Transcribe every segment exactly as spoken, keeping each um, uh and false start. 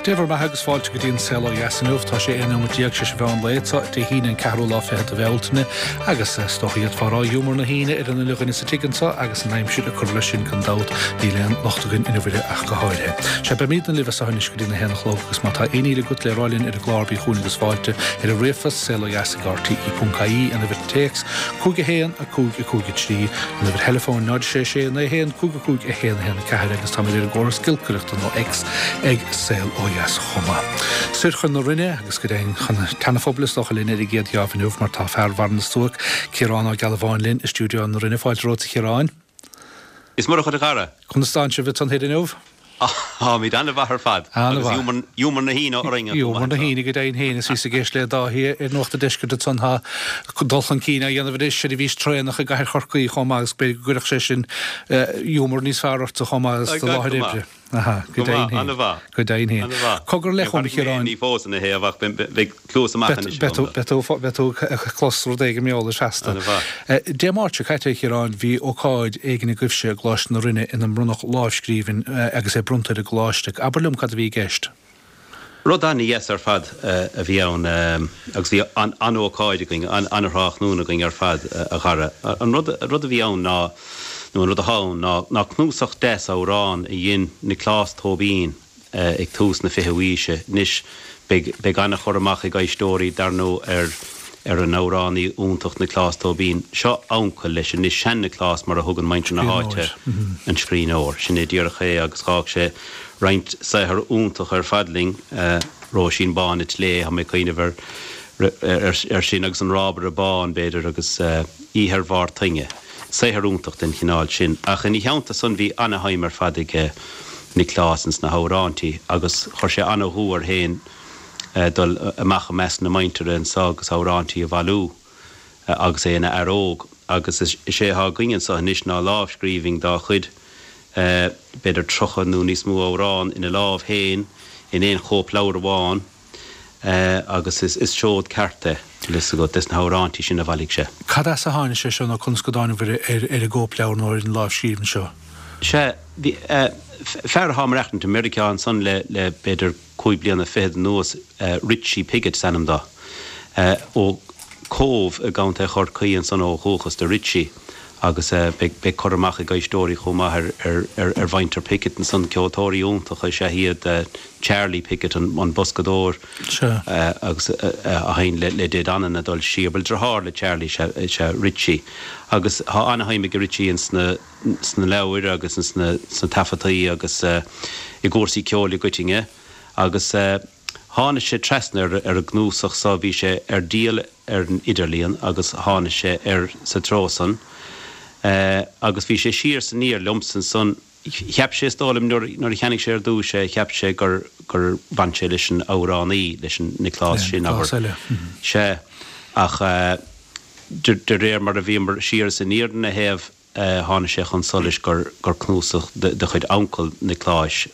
Dé bhur mbeatha agus fáilte go dtí an Saol Ó Dheas inniu. Tá sé aon nóiméad déag tar éis an mheán lae anseo Dé hAoine an ceathrú lá fichead de Bhealtaine agus is dócha d'fhéadfá a rá giúmar na hAoine ar an uile dhuine sa tigh anseo agus an aimsir ag cur leis sin gan dabht níl aon locht againn inniu uirthi ach go háirithe. Sea beimidne libh as seo anois go dtí a haon a chlog agus má tá aon ní agat le rá linn ar an gclár bí chugainn agus fáilte ar an ríomhphost saol ó dheas ag R T E ponc I E an uimhir téacs cúig a haon a cúig a cúig a trí an uimhir theileafóin náid sé sé naoi haon cúig a cúig a haon a haon a ceathair agus táimid ar an gcóras giolcaireachta nó X ag Saol Ó Dheas chomh maith. Soir chun na Rinne agus go deimhin chun an tSeana-Phobail is dócha linn ar an gcéad gheábh inniu mar tá fear Bharr na Stuaice, Ciarán Ó Gealbháin linn i stiúideo na Rinne. Fáilte romhat a Chiaráin. Is Muire dhuit a chara. Conas tánn sibh ansan thoir inniu? Táimid an-mhaith ar fad. An-mhaith. Agus giúmar na hAoine orainn. Giúmar na hAoine go deimhin féin is bhíos ag éisteacht le Dáithí ar Nuacht an Deiscirt ansan tá dul chun cinn á dhéanamh anois seirbhís traenach i gcathair Chorcaí chomh maith agus b'fhéidir go gcuirfeadh sé sin giúmar níos fearr ortsa chomh maith as do láthair oibre. Aha, go deimhin féin. An-mhaith. Go deimhin féin. An-mhaith. Cogar le chum Chiaráin. Ní fós ina thaobh ach beidh cluas amach anois agam. Beidh tú beidh tú ag clos rud éigin mar gheall air feasta. An-mhaith. Dé Máirt seo caite, a Chiaráin, bhí ócáid éigin agaibhse i gColáiste na Rinne ina mbronnadh lámhscríbhinn agus é bronnta ar an gcoláiste. Abair liom cad a bhí i gceist. Rud an-dheas ar fad a bhí ann agus bhí an-ócáid againn, an-thráthnóna againn ar fad, a chara. An rud rud a bhí ann ná, nó an rud atá ann ná, ná cnuasach deas amhrán a dhein Nioclás Tóibín ag tús na fichiú haoise. Anois beidh beidh an-chur amach ag éisteoirí dar ndóigh ar ar an amhránaí iontach Nioclás Tóibín. Seo uncail leis anois, Sean-Nioclás mar a thugann muintir na háite an scríbhneoir. Sin é díreach é agus d'fhág sé roinnt saothar iontach ar fad linn, Róisín Bán an tSlé, tá mé ag cuimhneamh ar ar sin agus An Rábaire Bán, b'fhéidir, agus Oíche ar Bharr Toinge. Saothar iontach den chineál sin. Ach ina theannta san bhí ana-shuim ar fad ag Nioclás ins na hamhráintí agus chuir sé ana-dhua air féin dul amach i measc na muintire anso agus amhráintí a bhailiú agus é ina fhear óg. Agus is é atá againn anso anois ná lámhscríbhinn dá chuid, b'fhéidir tríocha nó níos mó amhrán ina lámh féin in aon chóipleabhar amháin agus is seod ceart é, bhfuil fhios agat, des na hamhráintí sin a bhailigh sé. Cad as a tháinig sé seo nó conas go dtánabhair ar ar an gcóipleabhar nó ar an lámhscríbhinn seo? Sea, bhí fear atá ag maireachtaint i Meiriceá ansan le le b'fhéidir cúig bliana fichead anuas, Richie Piggott is ainm dó, ó Cóbh i gContae Chorcaí ansan ó dhúchas do Richie agus beidh cur amach ag éisteoirí chomh maith ar ar mhuintir Piggott ansan, ceoltóirí iontacha is ea iad, Charlie Piggott an boscadóir agus a sheinn le Dé Danann ag dul siar, bhuel deartháir le Charlie is ea Richie agus tá ana-shuim ag Richie ins na sna leabhair agus ins na sna taifeadtaí agus i gcúrsaí ceoil i gcoitinne agus tháinig sé trasna ar ar an gcnuasach so, bhí sé ar díol ar an idirlíon agus tháinig sé air sa treo san agus bhí sé siar is aniar liomsa ansan. Cheap sé, is dóigh liom, nuair nuair a cheannaigh sé ar dtús é, cheap sé gur gur bhain sé leis an amhránaí, leis an Nioclás sin, abair. Sea, ach de de réir mar a bhíomar siar is aniar ina thaobh, tháinig sé chun solais gur gur cnuasach de chuid uncail Niocláis,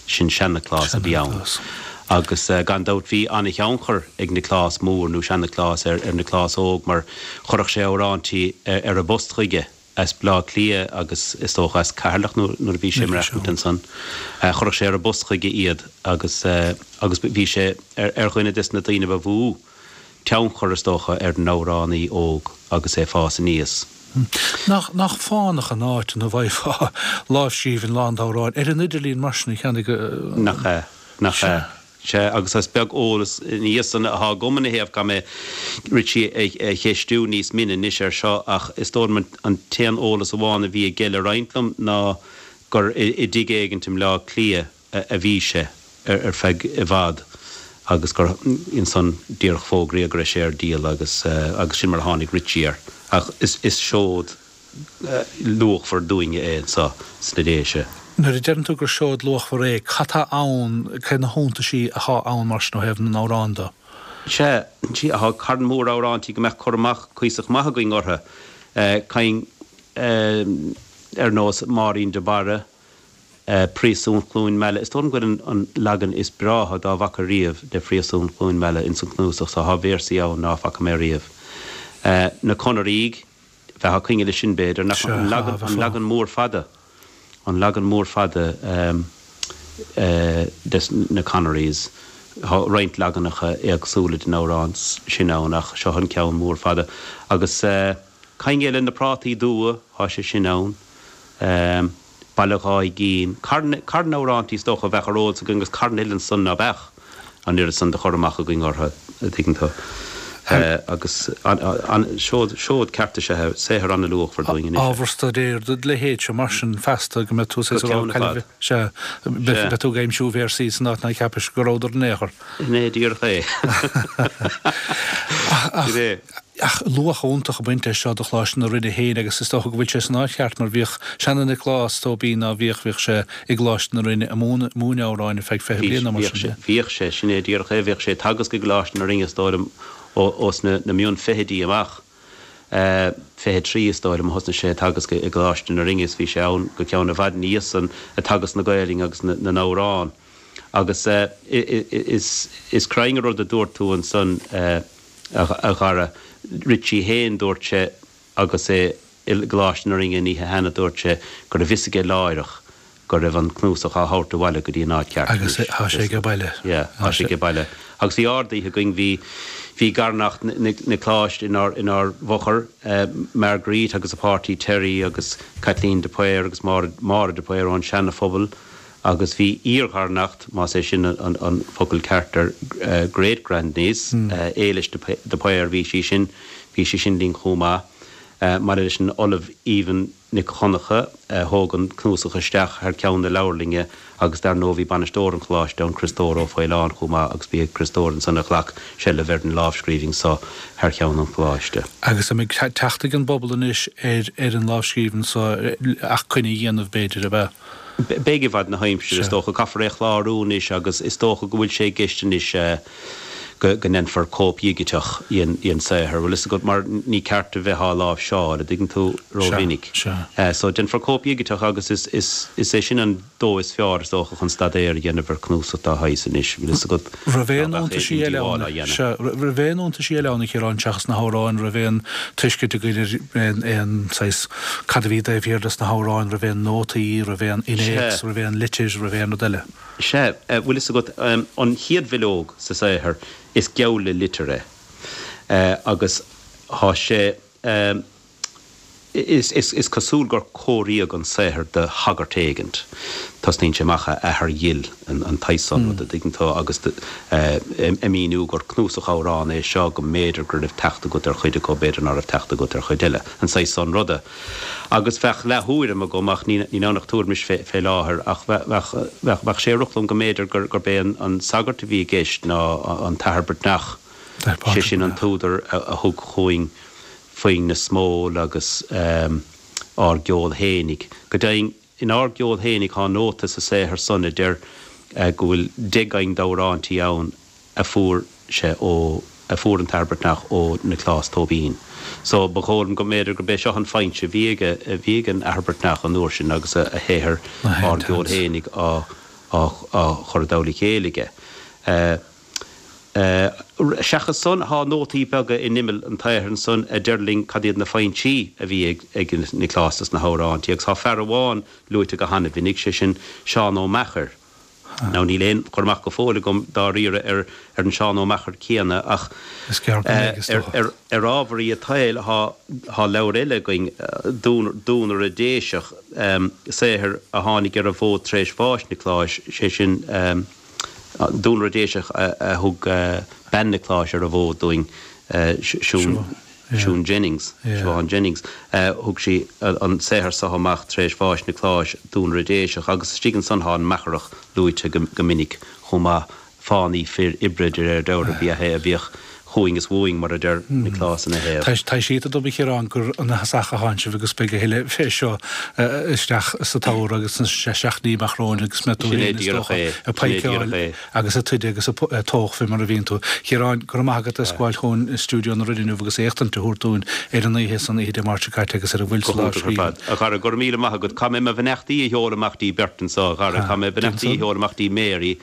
sin Sean-Nioclás, a bhí ann. Agus gan dabht bhí an-thionchar ag Nioclás Mór nó Sean-Nioclás ar ar Nioclás Óg mar chuirfeadh sé amhráintí ar an bpost chuige as Baile Átha Cliath agus is dócha as Ceatharlach nuair a bhí sé ag maireachtaint ansan. Chuirfeadh sé ar an bpost chuige iad agus agus bhí sé ar dhuine des na daoine ba mhó tionchar, is dócha, ar an amhránaí óg agus é ag fás aníos. Nach, nach fánach an áit ina bhfaighfeá lámhscríbhinn lán d'amhráin ar an idirlíon mar sin a cheannaigh go. Nach ea, nach ea. Sea, agus is beag eolas ina dhiaidh san atá agam ina thaobh, caithfidh mé Richie a cheistiú níos mine anois air seo, ach is dóigh liom an t-aon eolas amháin a bhí aige le roinnt liom ná gur i dtigh éigint i mBleá Cliath a bhí sé ar feadh i bhfad agus gur ansan díreach fógraíodh go raibh sé ar díol agus agus sin mar a tháinig Richie air. Ach is is seod luachmhar dúinne é anso sna Déise. Nuair a deireann tú gur seod luachmhar é, cad tá ann, cé na hiontaisí athá ann mar sin ó thaobh na n-amhrán de? Sea, tá carn mór amhráintí go mbeadh cur amach cuíosach maith againn orthu, cinn ar nós Máirín de Barra, Príosún Chluain Meala. Is dóigh liom go bhfuil an leagan is breátha dá bhfaca riamh de Phríosún Chluain Meala ins an cnuasach so. Tá véarsaí ann ná faca mé riamh. Na Conaraígh, bheifeá ag coinne leis sin b'fhéidir, nach an leagan, an leagan mór fada, an leagan mór fada des na Connerys. Tá roinnt leaganacha éagsúla den amhrán sin ann ach seo an ceann mór fada. Agus Coinneal na Prátaí Dubha, tá sé sin ann. Baile Dhá gCinn, carn amhráintí is dócha a bheadh ar eolas againn agus carn eile ansan ná beadh an oiread san de chur amach againn orthu, a dtuigeann tú. Agus seod, seod ceart is ea é, saothar an-luachmhar dúinn anois. Ábhar staidéir do leithéid seo mar sin feasta go mbeidh tú saghas ag rá cá sea, beidh tú ag aimsiú véarsaí san áit nár cheapais go rabhadar in aon chor. Sin é díreach é. Ach, Ach luach iontach ag baint leis seo do Choláiste na Rinne féin agus is dócha go bhfuil sé san áit cheart mar bhíodh seana-Nioclás Tóibín ná bhíodh, bhíodh sé i gColáiste na Rinne ag múineadh amhráin ar feadh fiche bliain nó mar sin de. Bhíodh sé, sin é díreach é, bhíodh sé ag teagasc i gColáiste na Rinne is dóigh liom ós na mion-fhichidí amach, fiche trí is dóigh liom a thosnaigh sé ag teagasc i gColáiste na Rinne is bhí sé ann go ceann i bhfad ina dhiaidh san ag teagasc na Gaelainne agus na n-amhrán. Agus is cruinn an rud a dúirt tú ansan, a Dhara. Richie fhéin, dúirt sé agus é i gColáiste na Rinne an oíche cheana, dúirt sé go raibh fhios aige láithreach go raibh an cnuasach á thabhairt abhaile go dtí an áit cheart Agus anois. tá sé age baile. Yeah, tá sé age baile. Agus bhí ard-oíche againn, bhí, bhí garneacht Niocláis inár, inár bhfochair, Marguerite agus a páirtí Terry agus Caitlín de Paor agus Máire, Máire de Paor ón Seana-Phobal, Agus bhí iar-gharneacht, más é sin an focal ceart ar great grand-niece, Éilis de Paor, bhí sí sin, bhí sí sin linn chomh maith. Maille leis an Ollamh Aoibhinn Nic Dhonncha, a thóg an cnuasach isteach thar ceann na leabharlainne agus dar ndóigh bhí bainisteoir an choláiste ann, Criostóir Ó Faoláin, chomh maith agus ba é Criostóir ansan a ghlac seilbh ar an lámhscríbhinn so thar cheann an choláiste. Agus an mbeidh teacht ag an bpobal anois ar an lámhscríbhinn so ach coinne a dhéanamh b'fhéidir, ab ea? Beidh i bhfad na haimsire, is dócha. Caithfear é a chlárú anois agus is dócha go bhfuil sé i gceist anois go ndéanfar cóip dhigiteach den saothar, bhfuil fhios agat, mar ní ceart a bheith á láimhseáil, a dtuigeann tú, rómhinic. So, déanfar cóip dhigiteach agus is é sin an dóigh is fearr, is dócha, chun staidéar a dhéanamh ar chnuasach dá shaghas anois, bhfuil fhios agat, Raibh aon iontaisí eile ann, sea, raibh aon iontaisí eile ann, a Chiaráin, seachas na hamhráin, raibh aon tuiscint againn ar aon saghas, cad a bhí taobh thiar des na hamhráin, raibh aon nótaí, raibh aon innéacs, raibh aon litir, raibh aon rud eile. Sea, bhfuil fhios agat, an chéad bhileog sa saothar, is geall le litir é. Agus thá sé, is cosúil gur cóiríodh an saothar do shagart éigint. Tosnaíonn sé amach, a athair dhil, an tsaghas san rud, a dtuigeann tú, agus ag míniú gur cnuasach amhrán é seo, go mb'fhéidir go raibh teacht agat ar chuid acu, b'fhéidir ná raibh teacht agat ar chuid eile, an saghas san ruda. Agus bheadh leath-thuairim agam, ach níl ann ach tuairim fé láthair, ach bheadh sé ag rith liom go mb'fhéidir gurb é an sagart a bhí i gceist ná an tAthair Breatnach, sé sin an t-údar a thug chugainn Foinn na Smól agus Ár gCeol Fhéinig. Go deimhin, in Ár gCeol Fhéinig thá nóta sa saothar san a deir go bhfuil deich gcinn d'amhráintí ann a fuair sé ó, a fuair an tAthair Breatnach ó Nioclás Tóibín. So, ba dhóigh liom go mb'fhéidir gurb é seo an foinse a bhí aige, a bhí ag an Athair Breatnach an uair sin agus a shaothar Ár gCeol Fhéinig á, á chur i dtoll a chéile aige. Seachas san, thá nótaí beaga in imeall an tsaothair ansan a deir linn cad iad na foinsí a bhí ag Nioclás dos na hamhráintí, agus thá fear amháin luaite go hana-mhinic, sé sin Seán Ó Meachair. Now níl aon chur amach go fóill agam dáiríre ar an Seán Ó Meachair céanna, ach ar ámharaí an tsaoil thá leabhar eile againn, Duanaire Déiseach, saothar a tháinig ar an bhfód tar éis bháis Niocláis, sé sin, Duanaire Déiseach a thug bean Niocláis ar an bhfód dúinn, Siún Jennings, Siobhán Jennings. Thug sí an saothar so amach tar éis bháis Niocláis, Duanaire Déiseach, agus istigh ansan thá an Meacharach luaite go minic chomh maith, fánaí fir oibre de réir dealraimh ba ea é a bhíodh chugainn is uainn, mar a deir Nioclás ina thaobh. Tá sé tuigthe dom, a Chiaráin, gur as Achadh a thánn sibh agus beidh a thuilleadh fé seo isteach sa tsamhradh agus sna seachtainí amach romhainn agus mbeidh tú Sin é féin, is díreach dócha, é. ag Sin é díreach paidhceáil é. agus ag troid agus ag tóch fé mar a bhíonn tú. Chiaráin, go raibh maith agat as gabháil chugainn i stiúideo na Rinne inniu agus éachtaint a thabhairt dúinn ar an oíche san, oíche Dé Máirt seo caite agus ar a bhfuil Go sa hiontach ar lámhscríbhinn. fad. A Dhara, go raibh míle maith agat. Caithfidh mé mo bheannachtaí a sheoladh amach dtí beirt anso, a Dhara. Ah, Caithfidh mé déan beannachtaí a san. sheoladh amach dtí Mary.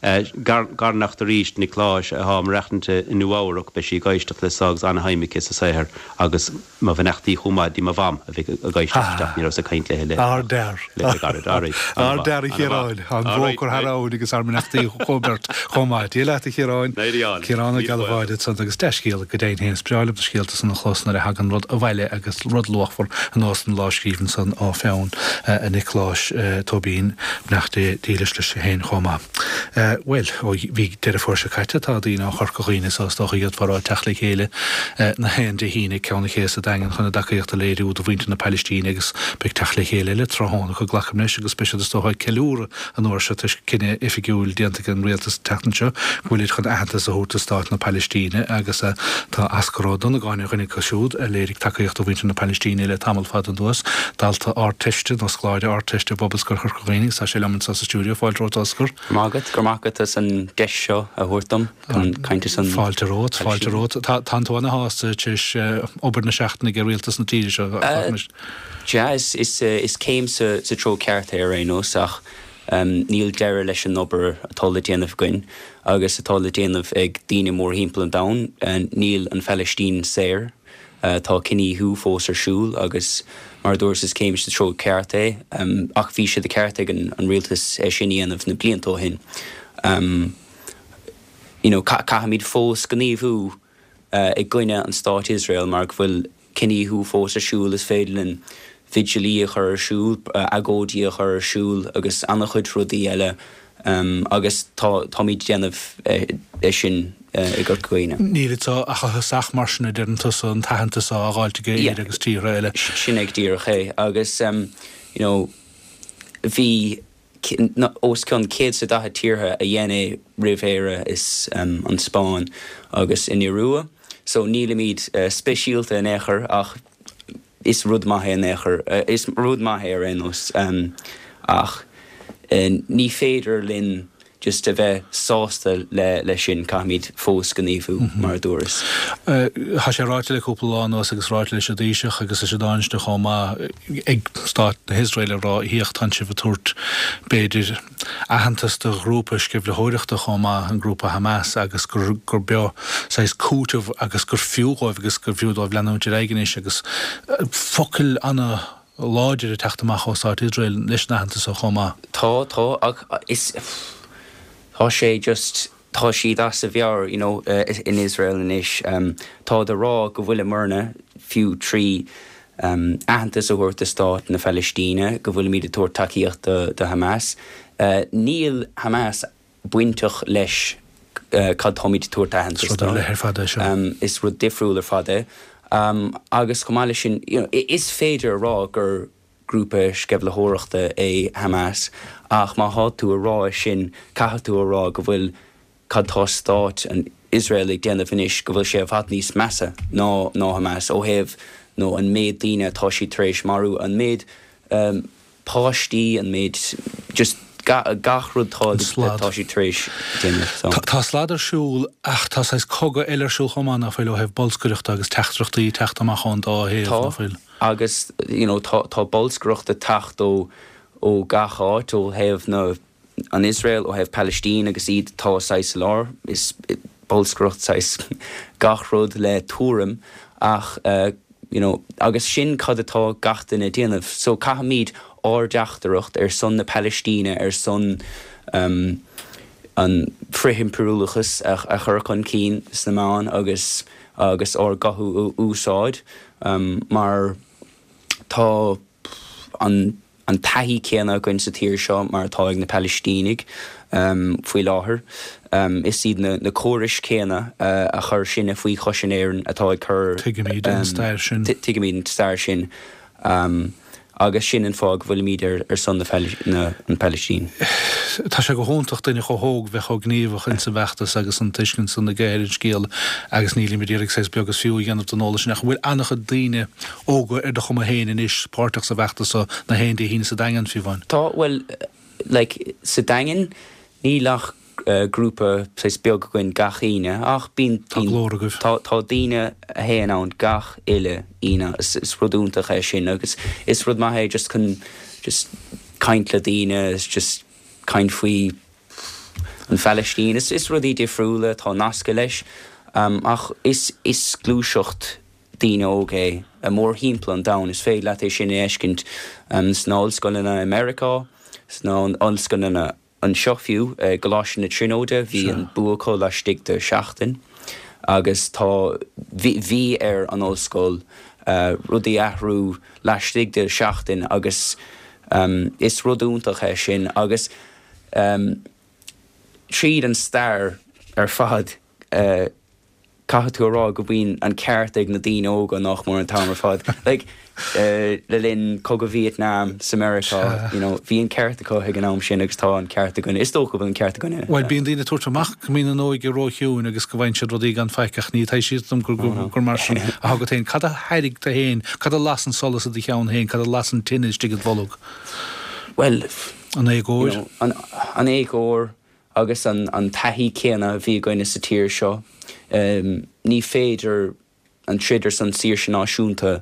Garneacht arís, Nioclás, atá ag maireachtaint i Nua-Eabhrac, beidh sí ag éisteacht leis seo agus ana-shuim aici sa saothar agus mo bheannachtaí chomh maith di mo mham a bheidh ag éisteacht isteach, ní rabhas ag caint léi le Ardfhear. le gairid. Alright, Ardfhear a Chiaráin, an bhóchar thar abhainn agus ár mbeannachtaí chomh beirt chomh maith. Dia leat a Chiaráin. Ciarán Ó Gealbháin ansan agus dea-scéal go deimhin féin. Is breá liom na scéalta san a chlos nuair a thagann rud abhaile agus rud luachmhar ar nós an lámhscríbhinn san ó pheann Niocláis Tóibín, beannacht Dé dílis leis féin chomh maith. Bhuel, ó bhí Deireadh Fómhair seo caite, tá daoine ó Chorca Dhuibhne so is dócha iad ag teacht le chéile na haon Dé hAoine ag Ceann an Ché sa Daingean chun a dtacaíocht a léiriú do mhuintir na Palaistíne agus beidh teacht le chéile eile tráthnóna acu glacaim leis agus beidh siad is dócha ag ceiliúradh an uair seo toisc cinneadh oifigiúil déanta ag an rialtas an tseachtain seo go bhfuilid chun aitheantas a thabhairt do stát na Palaistíne agus tá Osgur Ó Donnagáin ar dhuine acu siúd a léirigh tacaíocht do mhuintir na Palaistíne le tamall fada anuas, dalta Ardteiste nó scoláire Ardteiste i bPobalscoil Chorca Dhuibhne agus tá sé liom anseo sa stiúideo. Fáilte romhat Osgur. Go raibh maith agat, go raibh maith agat as an deis seo a thabhairt dom chun caint ar son Fáilte romhat, fáilte romhat. Tá tá tú ana-shásta tar éis obair na seachtaine ag rialtas na tíre seo. Yeah, is, is, is céim sa, sa treo ceart é ar aon nós ach um, níl deireadh leis an obair atá le déanamh againn agus atá le déanamh ag daoine mórthimpeall an domhain. Uh, níl an Phalaistín saor. Uh, tá cinedhíothú fós ar siúl agus mar dúirt is céim sa treo ceart é um, ach bhí sé de cheart ag an, an rialtas é sin a dhéanamh na blianta ó shin. Um, you know, caithfimid fós gníomhú uh, i gcoinne an stát Israel mar go bhfuil cinedhíothú fós ar siúl is féidir linn vigilí a chur ar siúl, uh, agóidí a chur ar siúl agus an-chuid rudaí eile um, agus táimid déanamh é sin uh, i gCorca Dhuibhne. Níl tá ach thosach mar sin a deireann tusa an t-aitheantas á fháilt ag Éire agus tíortha eile. Sin é díreach é agus um, you know, bhí os cionn céad is daichead tíortha a dhein é roimh Éire is um, an Spáinn agus an Iorua, so nílimid uh, speisialta in aon chor ach is rud maith é in aon chor uh, is rud maith é ar aon nós um, ach uh, ní féidir linn just a bheith sásta le le sin caithfimid fós gníomhú mm -hmm. mar dúras. Tá sé ráite le cúpla lá anuas agus ráite leis an Taoiseach agus leis an Tánaiste chomh maith ag stát na hIosrael a rá thíocht sibh ag tabhairt b'fhéidir aitheantas do ghrúpa sceimhlitheoireachta chomh maith an grúpa Hamas agus gur gur beo saghas cúiteamh agus gur fiú dóibh agus gur fiú dóibh leanúint ar aghaidh anois agus focail ana láidir ag teacht amach ó stát Iosrael leis an aitheantas chomh maith. Tá tá ach is tá sé just tá siad as a mheabhair you know, uh, in Israel anois um, tá de rá go bhfuil muidne fiú trí um, aitheantas a thabhairt do stát na Palaistíne go bhfuilimid ag tabhairt tacaíocht do, do Hamas. Uh, níl Hamas bainteach leis uh, cad táimid tabhairt aitheantas Rud le ar fad é seo. Um, is rud difriúil ar fad é. Um, agus chomh maith leis sin you know, is féidir a rá gur grúpa sceimhlitheoireachta é Hamas ach má tá tú a rá sin caithfidh tú a rá go bhfuil cad tá stát an Israel ag déanamh anois go bhfuil sé i bhfad níos measa ná ná Hamas ó thaobh nó an méid daoine atá siad tar éis marú an méid um, páistí an méid just ga, gach rud tá tá siad tar éis déanamh so. Tá slad ar siúl ach tá saghas cogadh eile ar siúl chomh maith nach bhfuil ó thaobh bolscaireachta agus teachtaireachtaí teacht amach ón dá thaobh Tá nach bhfuil. agus you know, tá, tá bolscaireacht ag teacht ó ó gach áit ó thaobh na an Israel ó thaobh Palestine agus iad tá saghas lár is bolscaireacht saghas gach rud le tuairim ach uh, you know, agus sin cad atá gach duine déanamh, so caithfimid ár dteachtaireacht ar son na Palestine ar son um, an frith-impiriúlachas a, a chur chun cinn sna meáin agus agus ár nguth a úsáid um, mar tá an an taithí céanna againn sa tír seo mar atá ag na Palaistínigh um, faoi láthair. Um, is iad na, na córais céanna uh, a chuir sinne faoi chois in Éirinn atá ag cur Tuigimid an stair sin. Tuigimid an stair sin. Um, agus sin an fáth go bhfuilimid ar, ar son na, na, an Palestine. Tá sé go hiontach duine chomh hóg bheith chomh gníomhach in sa bhfeachtas agus an tuiscint san aige ar an scéal agus nílimid iarraidh saghas beag is fiú a dhéanamh den eolas sin ach bhfuil an-chuid daoine óga ar do chuma féin anois páirteach sa bhfeachtas so na haon Dé hAoine sa Daingean fiú amháin. Tá well like, sa Daingean níl ach uh, grúpa saghas beag againn gach Aoine ach bíonn Tá glór agaibh. Tá tá daoine a théann ann gach uile Aoine is, is rud iontach é sin agus is rud maith é just chun just caint le daoine is just caint faoi an Phalaistín. Is is rudaí difriúla atá nasctha leis ach is is gluaiseacht daoine óga é mórthimpeall an domhain. Is féidir leat é sin a fheiscint sna ollscoileanna i Meiriceá, sna ollscoileanna anseo fiú, i gColáiste na Tríonóide, bhí an bua acu laistigh de sheachtain agus tá bhí bhí ar an ollscoil rudaí a athrú laistigh de sheachtain agus is rud iontach é sin agus tríd an stair ar fad caithfidh tú a rá go mbíonn an ceart ag na daoine óga nach mór an t-am ar fad. Like, le linn Cogadh Vietnam sa Meiriceá, you know, bhí an ceart acu ag an am sin agus tá an ceart againne. Is dócha go bhfuil an ceart againne. Bhuel, bíonn daoine ag tabhairt amach go mbíonn an óige róchiúin agus go bhfaigheann siad rudaí gan faic ach ní taibhsítear dom gur gur mar sin atá agat féin. Cad a thairg tú féin? Cad a las an solas i do cheann féin? Cad a las an tine istigh id bholg? Bhuel, An éagóir? you know, an, an éagóir agus an, an taithí céanna a bhí againne sa tír seo. Um, ní féidir an troid ar son saoirse náisiúnta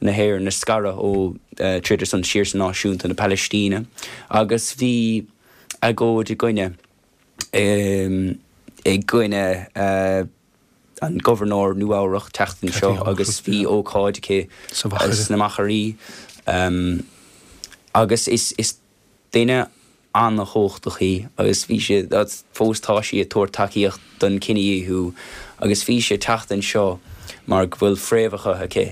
na hÉireann a scaradh ó uh, troid ar son saoirse náisiúnta na Palaistíne. Agus bhí agóid i gcoinne um, i gcoinne uh, an gobharnóir Nua-Eabhrac teacht anseo agus bhí ócáid aici sna Machairí um, agus is, is duine an-chumhachtach í agus bhí sé fós tá sí ag tabhairt tacaíocht don chinedhíothú agus bhí sí teacht anseo mar go bhfuil fréamhacha aici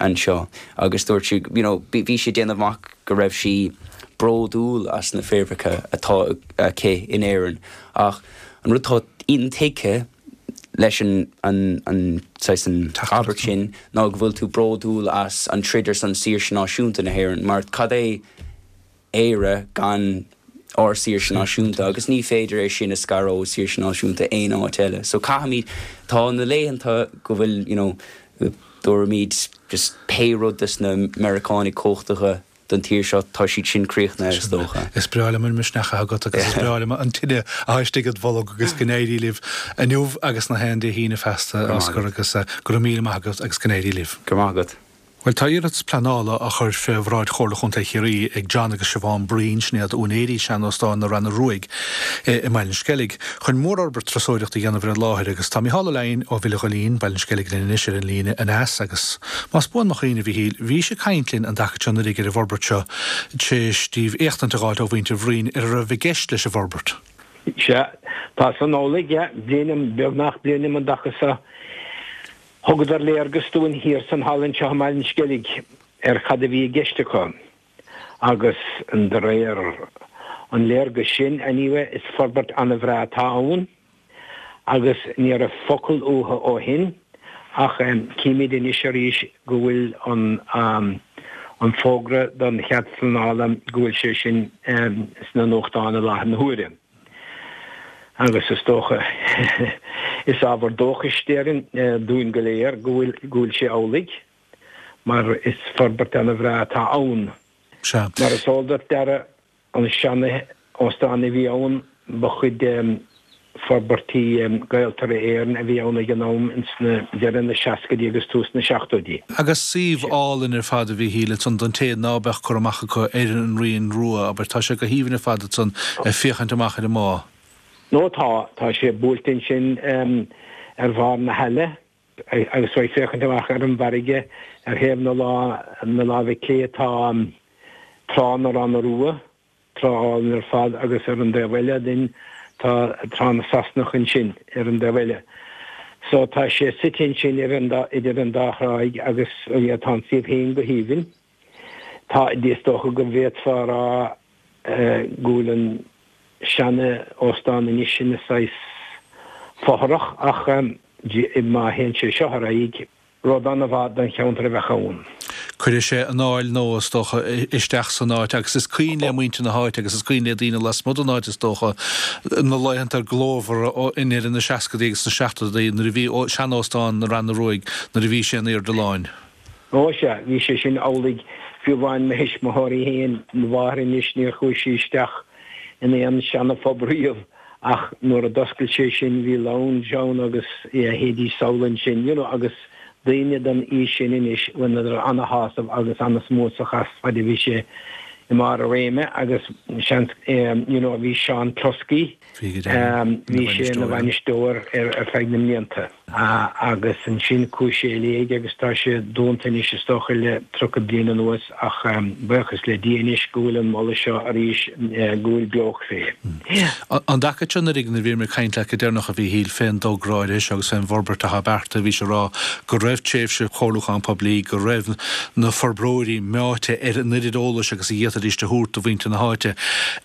anseo agus dúirt sí you know, bhí sí déanamh amach go raibh sí bródúil as na fréamhacha atá aici in Éirinn ach an rud atá intuigthe leis an an an an abairt sin ná go bhfuil tú bródúil as an troid ar son saoirse náisiúnta na hÉireann mar cad é Éire gan ár saoirse náisiúnta agus ní féidir é sin a scaradh ó saoirse náisiúnta aon áit eile. So caithfimid tá na laethanta go bhfuil you know, dúimid just pé rud des na Meiriceánaigh cumhachtacha don tír seo tá siad sin críochnaithe is dócha. Is breá liom an misneach agat agus is breá liom an tine atá istigh id bholg agus go n-éirí libh inniu agus na haon Dé hAoine feasta Oscar agus eh, go raibh míle maith agat agus go n-éirí libh. Go maith agat. Bhuel tá iarratas pleanála á chur fé bhráid Chomhairle Chontae Chiarraí ag John agus Siobhán Breen sin iad úinéirí seanóstán na Ranna Ruaidh i mBaile an Sceilg chun mórfhorbairt turasóireachta a dhéanamh ar an láthair agus tá Micheál Ó Leidhin ó Bhile Ghoillín, Baile an Sceilg linn anois ar an líne aneas agus más buan mo chuimhne a Mhichíl, bhís ag caint linn an dtaca seo anuraidh ar an bhforbairt seo tar éis daoibh éachtaint a fháil ó mhuintir Bhriain ar a raibh i gceist leis an bhforbairt. Sea, tá san amhlaidh, yeah, bliain beagnach bliain an dtaca seo. Thugadar léargas dúinn thiar san halla anseo i mBaile an Sceilg ar cad a bhí i gceist acu agus de réir an léargas sin anyway is forbairt an-bhreá atá ann agus ní raibh focal uathu ó shin ach címid anois arís go bhfuil an an fógra don chead pleanála go bhfuil sé sin sna nuachtáin i láthair na huaire. Agus is dócha is ábhar dóchais déarfainn dúinn go léir go bhfuil go bhfuil sé amhlaidh mar is forbairt an-bhreá atá ann. Sea. Mar is eol duit Dara an sean-óstán a bhí ann ba chuid de forbairtí Gaeltarra Éireann a bhí ann ag an am ins na deireadh na seascaidí agus tús na seachtóidí. Agus suíomh álainn ar fad a Mhichíl ansan don té ná beadh cur amach acu ar an Rian Rua, abair, tá sé go haoibhinn ar fad ansan ag féachaint amach ar an mbá. Nó tá, tá sé buailte ansin ar bharr na haille agus tú ag féachaint amach ar an bhfarraige ar thaobh na na láimhe clé tá Trá na Ranna Rua, trá álainn ar fad agus ar an dtaobh eile den tá Trá na Sasanach ansin ar an dtaobh eile. So tá sé suite ansin ar an dá, idir an dá thráigh agus tá an suíomh féin go haoibhinn. Tá, is dócha go bhféadfá a rá go bhfuil an seana-óstán anois ina saghas fothrach ach má théann sé seo ar aghaidh, rud an-mhaith don cheantar a bheadh ann. Cuirfidh sé anáil nua, is dócha, isteach san áit agus is cuimhin le muintir na háite agus is cuimhin le daoine lasmuigh den áit, is dócha, na laethanta glórmhara i ndeireadh na seascadaí agus na seachtóidí nuair a bhí sean-óstán na Ranna Ruaidh, nuair a bhí sé in airde láin. Ó sea, bhí sé sin amhlaidh. Fiú amháin mo thuismitheoirí féin, mo mháthair anois, níor chuaigh sí isteach in aon seana-phub riamh ach nuair a d'oscail sé sin bhí lounge ann agus yeah théidís sall ansin you know agus daoine den aois sin anois bhaineadar ana-shásamh agus ana-smúsach as fad a bhí sé i mbarr a réime agus seans you know bhí Seán Cluskey bhí sé ina bhainisteoir ar ar feadh na mblianta agus ansin chuaigh sé i léig agus tá sé dúnta anois is dócha le tríocha bliain anuas ach buíochas le Dia anois go bhfuil an moladh seo arís go bhfuil beocht fé. An dtaca seo nuair a bhí mé ag caint leat go deireanach a Mhíchíl fén dtogra áirithe seo agus fén bhforbairt atá beartaithe bhís ag rá go raibh tréimhse chomhairliúcháin poiblí go raibh na forbróirí meáite ar an oiread eolais agus a d'fhéadfaidís a thabhairt do mhuintir na háite.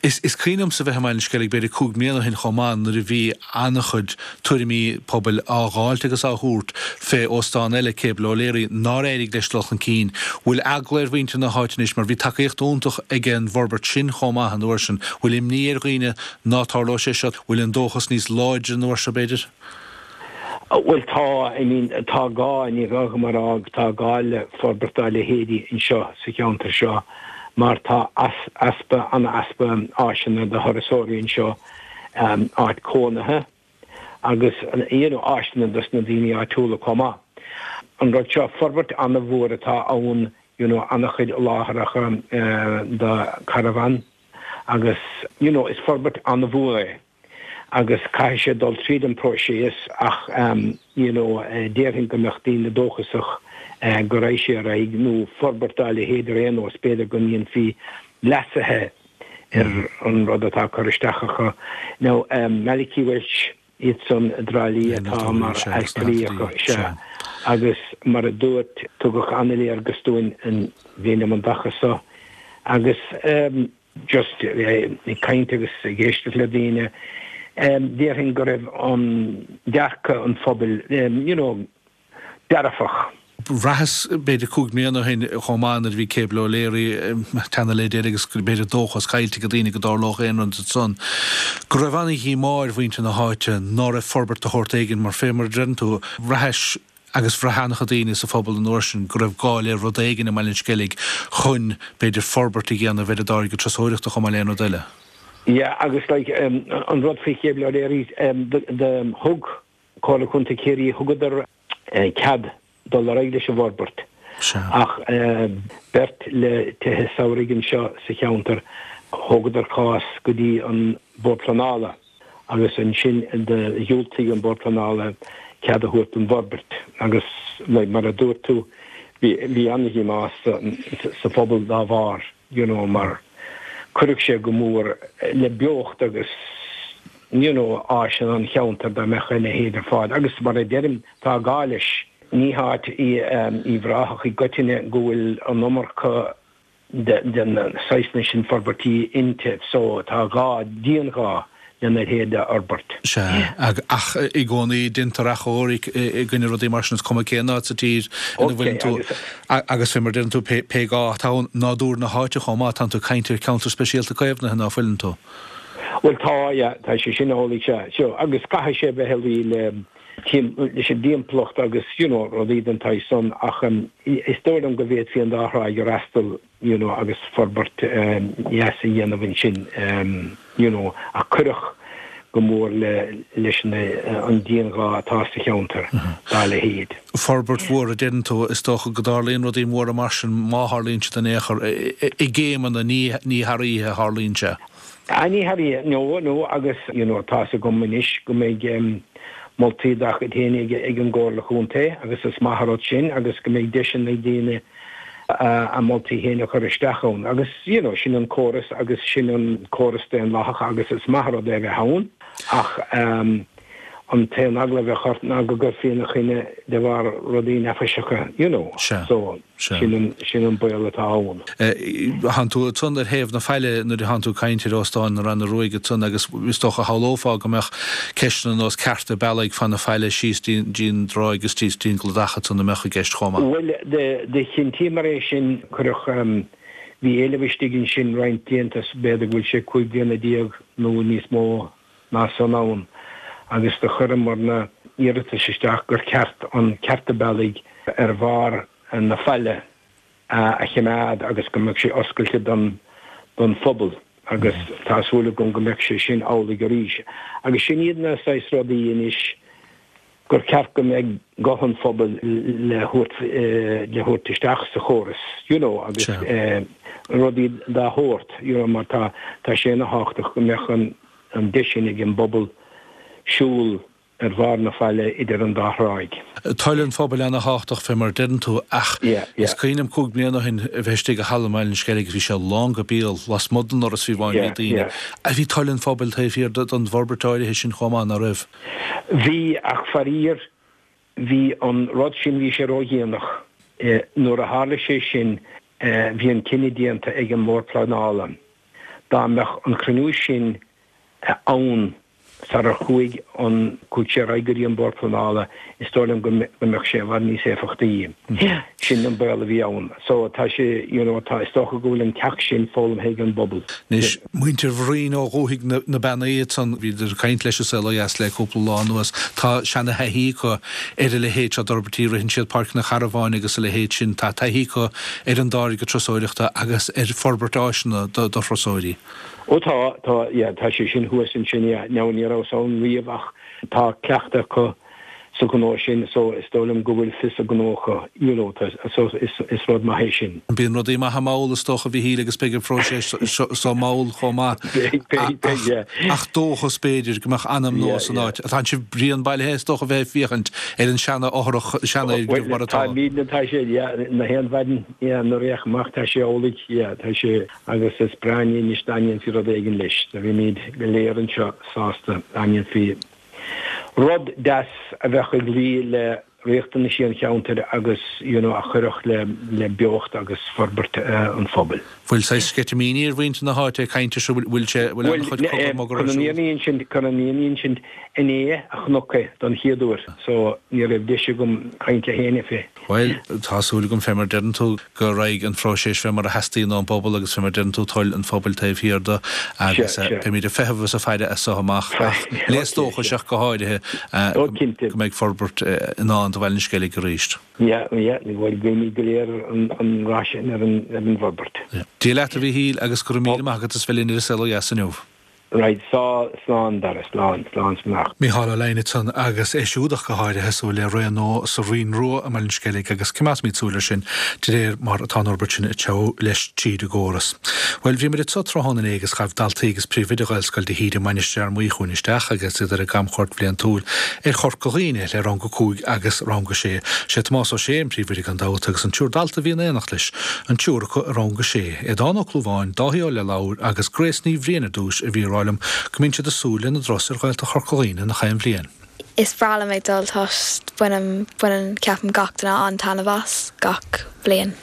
Is is cuimhin liomsa bheith i mBaile an Sceilg b'fhéidir cúig mbliana ó shin chomh maith nuair a bhí an-chuid tuairimí pobail á dháilt agus á thabhairt fé óstán eile Cable O'Leary nár éirigh leis dul chun cinn. Bhfuil eagla ar mhuintir na háite anois mar bhí tacaíocht iontach ag an bhforbairt sin chomh maith an uair sin. Bhfuil imní ar dhaoine ná tarlóidh sé seo? Bhfuil an dóchas níos láidre an uair seo b'fhéidir? Bhuel tá, I mean tá gá, ní gá dom a rá, tá gá le forbairt dá leithéidí anseo sa cheantar seo mar tá easpa, an-easpa áiseanna do thurasóirí anseo, áit cónaithe agus you know áiseanna dos na daoine áitiúla chomh maith. An rud seo, forbairt an-mhór atá ann, you know an-chuid láithreacha do caravan agus you know is forbairt an-mhór é. agus caithfidh sé dul tríd an próiseas ach you know déarfainn go mbeadh daoine dóchasach go raghaidh sé ar aghaidh nó forbairt dá leithéid ar aon nós, b'fhéidir go ndéanfaí leasuithe ar an rud atá curtha isteach acu. Now Malachy Walsh iad san i dTrá Lí atá mar ailtirí acu, sea, agus mar a dúirt, tugadh an-léargas dúinn an bhliain um an dtaca so agus just ag caint agus ag éisteacht le daoine, déarfainn go raibh an dearcadh an phobail, you know, dearfach. Bhraitheas, b'fhéidir cúig mbliana ó shin chomh maith nuair a bhí Cable O'Leary ag teannadh le deireadh agus b'fhéidir dóchas caillte ag daoine go dtarlódh aon rud ansan, go raibh ana-dhíomá ar mhuintir na háite ná raibh forbairt de shórt éigin mar fé mar a deireann tú, bhraitheas agus bhraith an-chuid daoine sa phobal an uair sin go raibh gá le rud éigin i mBaile an Sceilg chun, b'fhéidir, forbairt a dhéanamh ar an dtáirge turasóireachta chomh maith le aon rud eile. Yeah, agus like an rud faoi Cable O'Leary, do thug Comhairle Contae Chiarraí, thugadar cead dul ar aghaidh leis an bhforbairt ach beirt le tithe samhraidh anseo sa cheantar, thógadar cás go dtí an Bord Pleanála agus ansin do dhiúltaigh an Bord Pleanála cead a thabhairt don bhforbairt agus like mar a dúirt tú bhí an-dhíomá sa phobal dá bharr you know mar chuirfeadh sé go mór le beocht agus you know áiseanna an cheantair dá mbeadh a leithéid ar fáil agus mar a deirim tá gá leis. Ní háit í Uíbh Ráthach i gcoitinne go bhfuil an iomarca de na saghsanna sin forbairtí inti so tá gá, dianghá lena leithéid a fhorbairt. Sea, ach i gcónaí déantar achomharc i gcoinne rudaí mar sin, is cuma cén áit sa tír ina bhfuileann tú. Agus fé mar a deireann tú, pé gá atá ann, nádúr na háite chomh maith, tánn tú ag caint ar cheantar speisialta caomhnaithe, ná fuileann tú? Bhuel tá, yeah, tá sé sin amhlaidh, sea. So, agus caithfidh sé bheith ag luí le leis an dtimpeallacht agus, you know, rudaí den tsaghas san ach is dóigh liom go bhféadfaí an dá thráigh a fhreastal, you know, agus forbairt dheas a dhéanamh ansin, you know, ach chuirfeadh go mór le leis an dianghá atá sa cheantar dá leithéid. Forbairt mhór a deireann tú, is dócha go dtarlaíonn rudaí móra mar sin, má tharlaíonn siad in aon chor, i gcéimeanna, ní thar oíche a tharlaíonn sé. Ah ní thar oíche, no, no, agus you know tá's agam anois go mbeidh moltaí dá chuid féin ag an gComhairle Chontae agus is maith an rud sin agus go mbeidh deiseanna ag daoine a moltaí féin a chur isteach ann agus you know sin an córas agus sin an córas daonlathach agus is maith an rud é a bheith ann ach an t-aon eagla a bheadh ort ná go gcuirfí ina choinne de bharr rudaí neafaiseacha you know so sin an sin an baol atá ann. Thánn tú ansan ar thaobh na faille nuair a thánn tú ag caint ar Óstán na Ranna Ruaidhe ansan agus is dócha shamhlófá go mbeadh ceisteanna ar nós cearta bealaigh fan na faille síos dtí an dtráigh agus síos dtí an gcladach ansan a mbeadh i gceist chomh maith. Bhuel, do chinntíomar é sin, cuireadh, bhí éileamh istigh ansin roinnt blianta, b'fhéidir go bhfuil sé cúig bliana déag nó níos mó ná san ann, agus do chuireamar na hiarratais isteach gur ceart an cearta bealaigh ar bharr na faille a choimeád agus go mbeadh sé oscailte don don phobal agus tá súil agam go mbeadh sé sin amhlaidh arís. Agus sin iad na saghas rudaí anois gur ceart go mbeidh guth an phobail le thabhairt le thabhairt isteach sa chóras, you know, agus rudaí dá shórt, you know, mar tá tá sé ana thábhachtach go mbeadh an an deis sin ag an bpobal siúl ar bharr na faille idir an dá thráigh. Toil an phobail ana thábhachtach fé mar a deireann tú ach is cuimhin liom cúig bliana ó shin a bheith istigh i halla i mBaile an Sceilg agus bhí sé lán go béal lasmuigh den ndoras fiú amháin le daoine. Bhí toil an phobail taobh thiar den bhforbairt áirithe sin chomh maith, ná raibh? Bhí ach faraor bhí an rud sin, bhí sé ródhéanach. Nuair a tharla sé sin bhí an cinneadh déanta ag an mBord Pleanála dá mbeadh an cruinniú sin ann Sarar chuaigh an chuaigh sé ar aghaidh go dtí an Bord Pleanála, is dóigh liom go mbeadh sé i bhfad níos éifeachtaí. Sin an baol a bhí ann. So tá sé, you know, tá, is dócha go bhfuil an ceacht sin foghlamtha ag an bpobal. Anois, muintir Bhraoin ó Dhúthaigh na Beannaí ansan, bhíodar ag caint leis An Saol Ó Dheas le cúpla lá anuas, tá seana-thaithí acu ar a leithéid seo d'fhorbairtí, ritheann siad Páirc na Carbháin agus a leithéid sin, tá taithí acu ar an dtáirge turasóireachta agus ar forbairt áiseanna do thurasóirí. Ó tá, tá, yeah, tá sé sin thuas ansin, yeah. Now ní rabhas ann riamh ach tá cleachtadh acu sa ghnó sin so is dóigh liom go bhfuil fios a ngnó acu, you know, tá, so is, is rud maith é sin. Bíonn rudaí maithe mall is dócha a Mhíchíl agus beidh an phróiseas seo mall chomh maith. Beidh, beidh, beidh, yeah. Ach dóchas b'fhéidir go mbeadh anam nua san áit. Tá sibh bréan bailithe is dócha a bheith ag féachaint ar an seana-fhothrach, seanfhoirgneamh mar atá. Tá, bíonn, tá sé, yeah, na haon mhaidin, yeah, nuair a fhéachaim amach tá sé amhlaidh, yeah, tá sé. Agus is breá an ní anois dá ndéanfaí rud éigin leis. Do bhímid go léir anseo sásta dá ndéanfaí rud deas a bheadh ag luí le riachtanaisí an cheantair agus you know a chuirfeadh le le beocht agus forbairt an phobail. Bhfuil saghas sceitimíní ar mhuintir na háite ag caint air seo? Bhfuil sé, bhfuil an-chuid cogadh magadh ar siúl? Chun an fhírinne a insint, chun an fhírinne a insint, inné a chonac é don chéad uair so ní raibh deis agam caint le héinne fé. Bhuel, tá súil agam, fé mar a deireann tú, go raghaidh an phróiseas fé mar a theastaíonn ón bpobal agus fé mar a deireann tú toil an phobail taobh thiar de agus beimid ag feitheamh is ag faire as so amach ach léas dóchais ach go háirithe go mbeidh forbairt i ndán do Bhaile an Sceilg arís. Yeah, yeah, bhuel guímid go léir an rath sin ar an bhforbairt. Dia leat a Mhíchíl agus go raibh míle maith agat as bheith linn ar An Saol Ó Dheas inniu. Right, so, slán Dara, slán, slán 's beannacht. Mícheál Ó Lionáird ansan agus é siúd ach go háirithe ag súil le ré nua sa Rinn Rua i mBaile an Sceilg agus coimeádfaimid súil air sin de réir mar atá an fhorbairt sin ag treabhadh leis tríd an gcóras. Bhuel, bhíomar anso tráthnóna inné agus ghabh daltaí agus príomhoide Ghaelscoil de hÍde, Mainistir Fhear Maí chugainn isteach agus iad ar a gcamchuairt bhliantúil ar Chorca Dhuibhne le Rang a cúig agus Rang a sé. Sé Tomás Ó Sé an príomhoide gan dabht agus an triúr dalta a bhí in éineacht leis, an triúr acu i Rang a sé, Aodán Ó Clúmháin, Dáithí Ó Leithleabhair agus Grace Ní Bhriain ar dtús a bhí ag rá liom go mbíonn siad ag súil lena dturas ar Ghaeltacht Chorca Dhuibhne nach aon bhliain. Is breá liom ag dul toisc bainim, baineann, ceapaim gach duine an-taitneamh as gach bliain.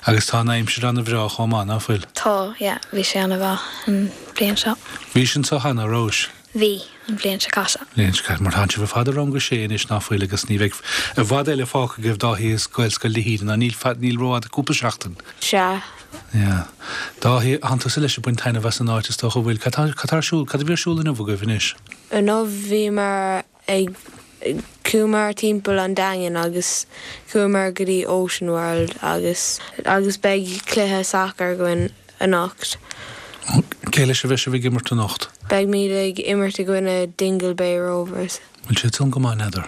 Agus tá an aimsir ana-bhreá chomh maith, ná fuil? Tá, yeah, bhí sé ana-mhaith an bhliain seo. Bhís anso cheana, rabhais? Bhí, an bhliain seo caite. Bhliain seo caite, mar tánn sibh ar fad i rang a sé anois, ná fuil, agus ní bheidh i bhfad eile fágtha agaibh Dáithí as Gaelscoil de hÍde, ná níl, níl rófhada, cúpla seachtain. Sea. Yeah. Dáithí, tánn tusa leis ag baint taitneamh as an áit is dócha, bhfuil? Cad tá, cad tá ar siúl, cad a bhí ar siúl inniu agaibh anois? Inniu bhíomar ag, chuamar timpeall an Daingin agus chuamar go dtí Ocean World agus, agus beidh cluiche sacair againn anocht. Cé leis a bheidh sibh ag imirt anocht? Beimid ag imirt i gcoinne Dingle Bay Rovers. Bhfuil siad san go maith, n'fheadar?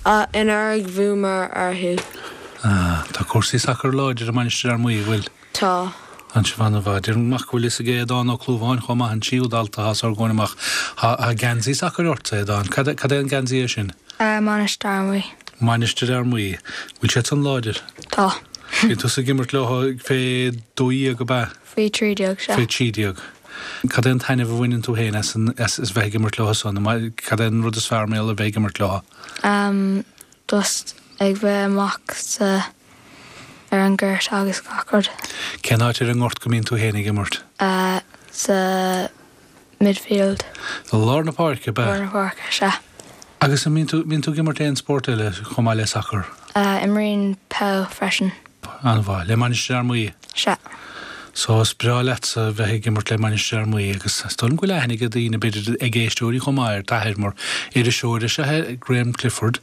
Anuraidh bhuamar orthu. Ah, tá cúrsaí sacair láidir i Mainistir Fhear Maí, bhfuil? Tá. Tá sibh an-mhaith. Déarfainn amach go bhfuil fhios ag Aodán Ó Clúmháin chomh maith, an tríú dalta atá os ár gcomhair amach. Tá geansaí sacair ort, a Aodáin. Cad é an geansaí é sin? Mainistir Fhear Maí. Mainistir Fhear Maí. Bhfuil siad san láidir? Tá. Bhí tusa ag imirt leo fé dó dhéag, ab ea? Faoi trí déag, sea. Faoi trí déag. Cad é an taitneamh a bhaineann tú féin as an, as bheith ag imirt leo san? Cad é an rud is fearr mar gheall ar bheith ag imirt leo? Um, just ag bheith amach sa, ar an ngort agus gach rud. Cén áit ar an ngort go mbíonn tú féin ag imirt? Uh, sa midfield. I lár na páirce, ab ea? Lár na páirce, sea. Agus an mbíonn tú, mbíonn tú ag imirt aon spórt eile chomh maith le sacar? Imrím peil freisin. An-mhaith. Le Mainistir Fhear Maí? Sea. So is breá leatsa bheith ag imirt le Mainistir Fhear Maí agus is dóigh liom go bhfuil aithne ag daoine, b'fhéidir ag éisteoirí chomh maith ar d'athair mar iriseoir is ea é, Graham Clifford,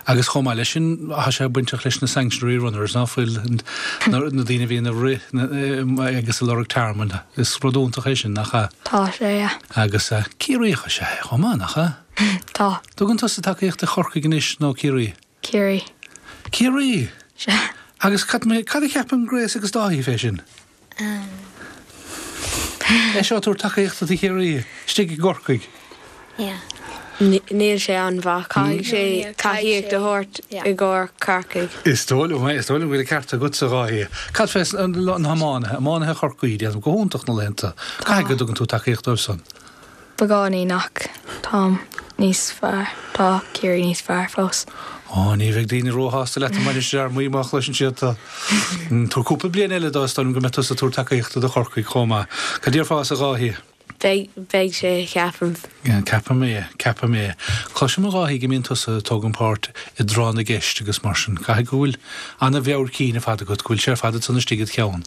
agus chomh maith leis sin tá sé bainteach leis na Sanctuary Runners, ná fuil, na daoine a bhíonn ag rith agus ag lorg tearmainn. Is rud iontach é sin, nach ea? Tá sé, yeah. Agus Ciarraíoch is ea é chomh maith, nach ea? Tá. Tugann tusa tacaíocht do Chorcaigh anois nó Ciarraí? Ciarraí. Ciarraí? Sea. Agus cad cad a cheapann Grace agus Dáithí fé sin? É seo tabhairt tacaíochta do Chiarraí istigh i gCorcaigh. Yeah. Níl sé an-mhaith, caithfidh sé tacaíocht a thabhairt i gcomhair Corcaigh. Is dóigh liom, is dóigh liom go bhfuil an ceart agatsa, a Dháithí. Cad fé na hiománaithe, iománaithe Chorcaí, déanaim go hiontach na laethanta. Caithfidh go dtugann tú tacaíocht dóibh san. Beagáinín ach táim níos fearr, tá Ciarraí níos fearr fós. Ó, ní bheidh daoine róshásta leat i mBainistir Fhear Maí má chloiseann siad tú. Tabhair cúpla bliain eile dó, is dóigh liom go mbeidh tusa ag tabhairt tacaíochta do Chorcaigh chomh maith. Cad déarfása, a Dháithí? Beidh, beidh sé, ceapaim. Ceapaim é, ceapaim é. Cloisim, a Dháithí, go mbíonn tusa ag tógaint páirt i dtráth na gceist agus mar sin. Caithfidh go bhfuil an-mheabhair cinn ar fad agat, go bhfuil sé ar fad ansan istigh id cheann.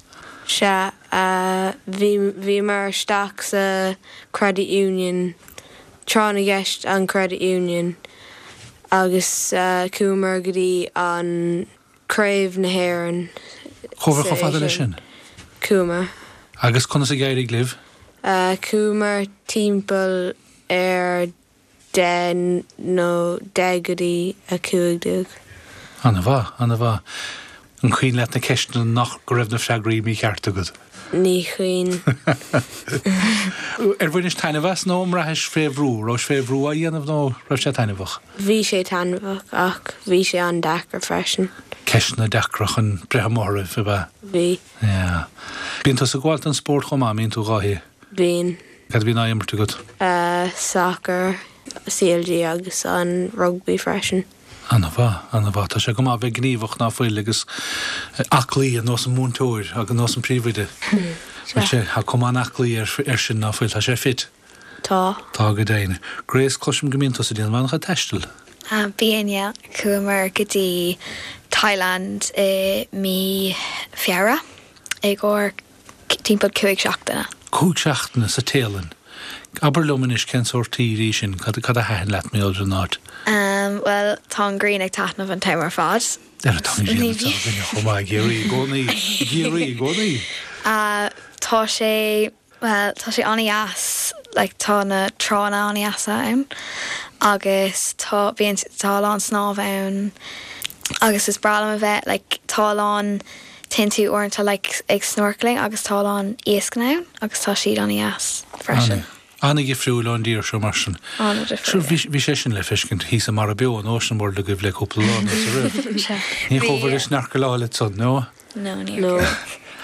Sea, bhí, bhíomar isteach sa Credit Union, tráth na gceist an Credit Union agus chuamar go dtí an Craobh na hÉireann. Chuabhair chomh fada leis sin? Chuamar. Agus conas a d'éirigh libh? Chuamar timpeall ar deich nó deich go dtí a cúig déag. Ana-mhaith, ana-mhaith. An cuimhin leat na ceisteanna nach go raibh na freagraí mícheart agat? Ní cuimhin. Ar bhainis taitneamh as nó an mbraithis fé bhrú? Raibh fé bhrú á dhéanamh nó raibh sé taitneamhach? Bhí sé taitneamhach ach bhí sé an-deacair freisin. Ceisteanna deacra chun breith amuigh oraibh, ab ea? Bhí. Yeah. Bíonn tusa ag gabháil don spórt chomh maith, an mbíonn tú, a Dháithí? Bíonn. Cad a bhíonn á imirt agat? Sacar, C L G agus an rugbaí freisin. Ana-mhaith, ana-mhaith. Tá sé go maith bheith gníomhach ná fuil agus aclaí ar nós an múinteoir agus nós an príomhoide. Bhfuil sé, tá cuma an-aclaí air sin ná fuil, tá sé fit. Tá. Tá go deimhin. Grace, cloisim go mbíonn tusa ag déanamh an-chuid taistil. Bíonn, yeah. Chuamar go dtí Thailand i mí Feabhra i gcomhair timpeall cúig seachtaine. Cúig seachtaine sa Téalainn. Abair liom anois cén sórt tír í sin, cad cad a thaitin leat mar gheall ar an áit? Um, well, tá an ghrian ag taitneamh an t-am ar fad. Ar tá an ghrian ag taitneamh chomh maith i gCiarraí i gcónaí, i gCiarraí i gcónaí. Uh, tá sé well, tá sé an-deas, like, tá na tránna an-deasa ann agus tá bíonn tá a lán snámh ann agus is breá liom a bheith like, tá a lán téann tú uaireanta like, ag snorkeling agus tá a lán iasc ann agus tá siad an-deas freisin. An-difriúil ón dtír seo mar sin. An-difriúil. Bhí bhí sé sin le feiscint thíos i Mara Beo an Ocean World agaibh le cúpla lá anuas roimh. Ní chuabhair ag snorkeláil ansan, no? No, ní No.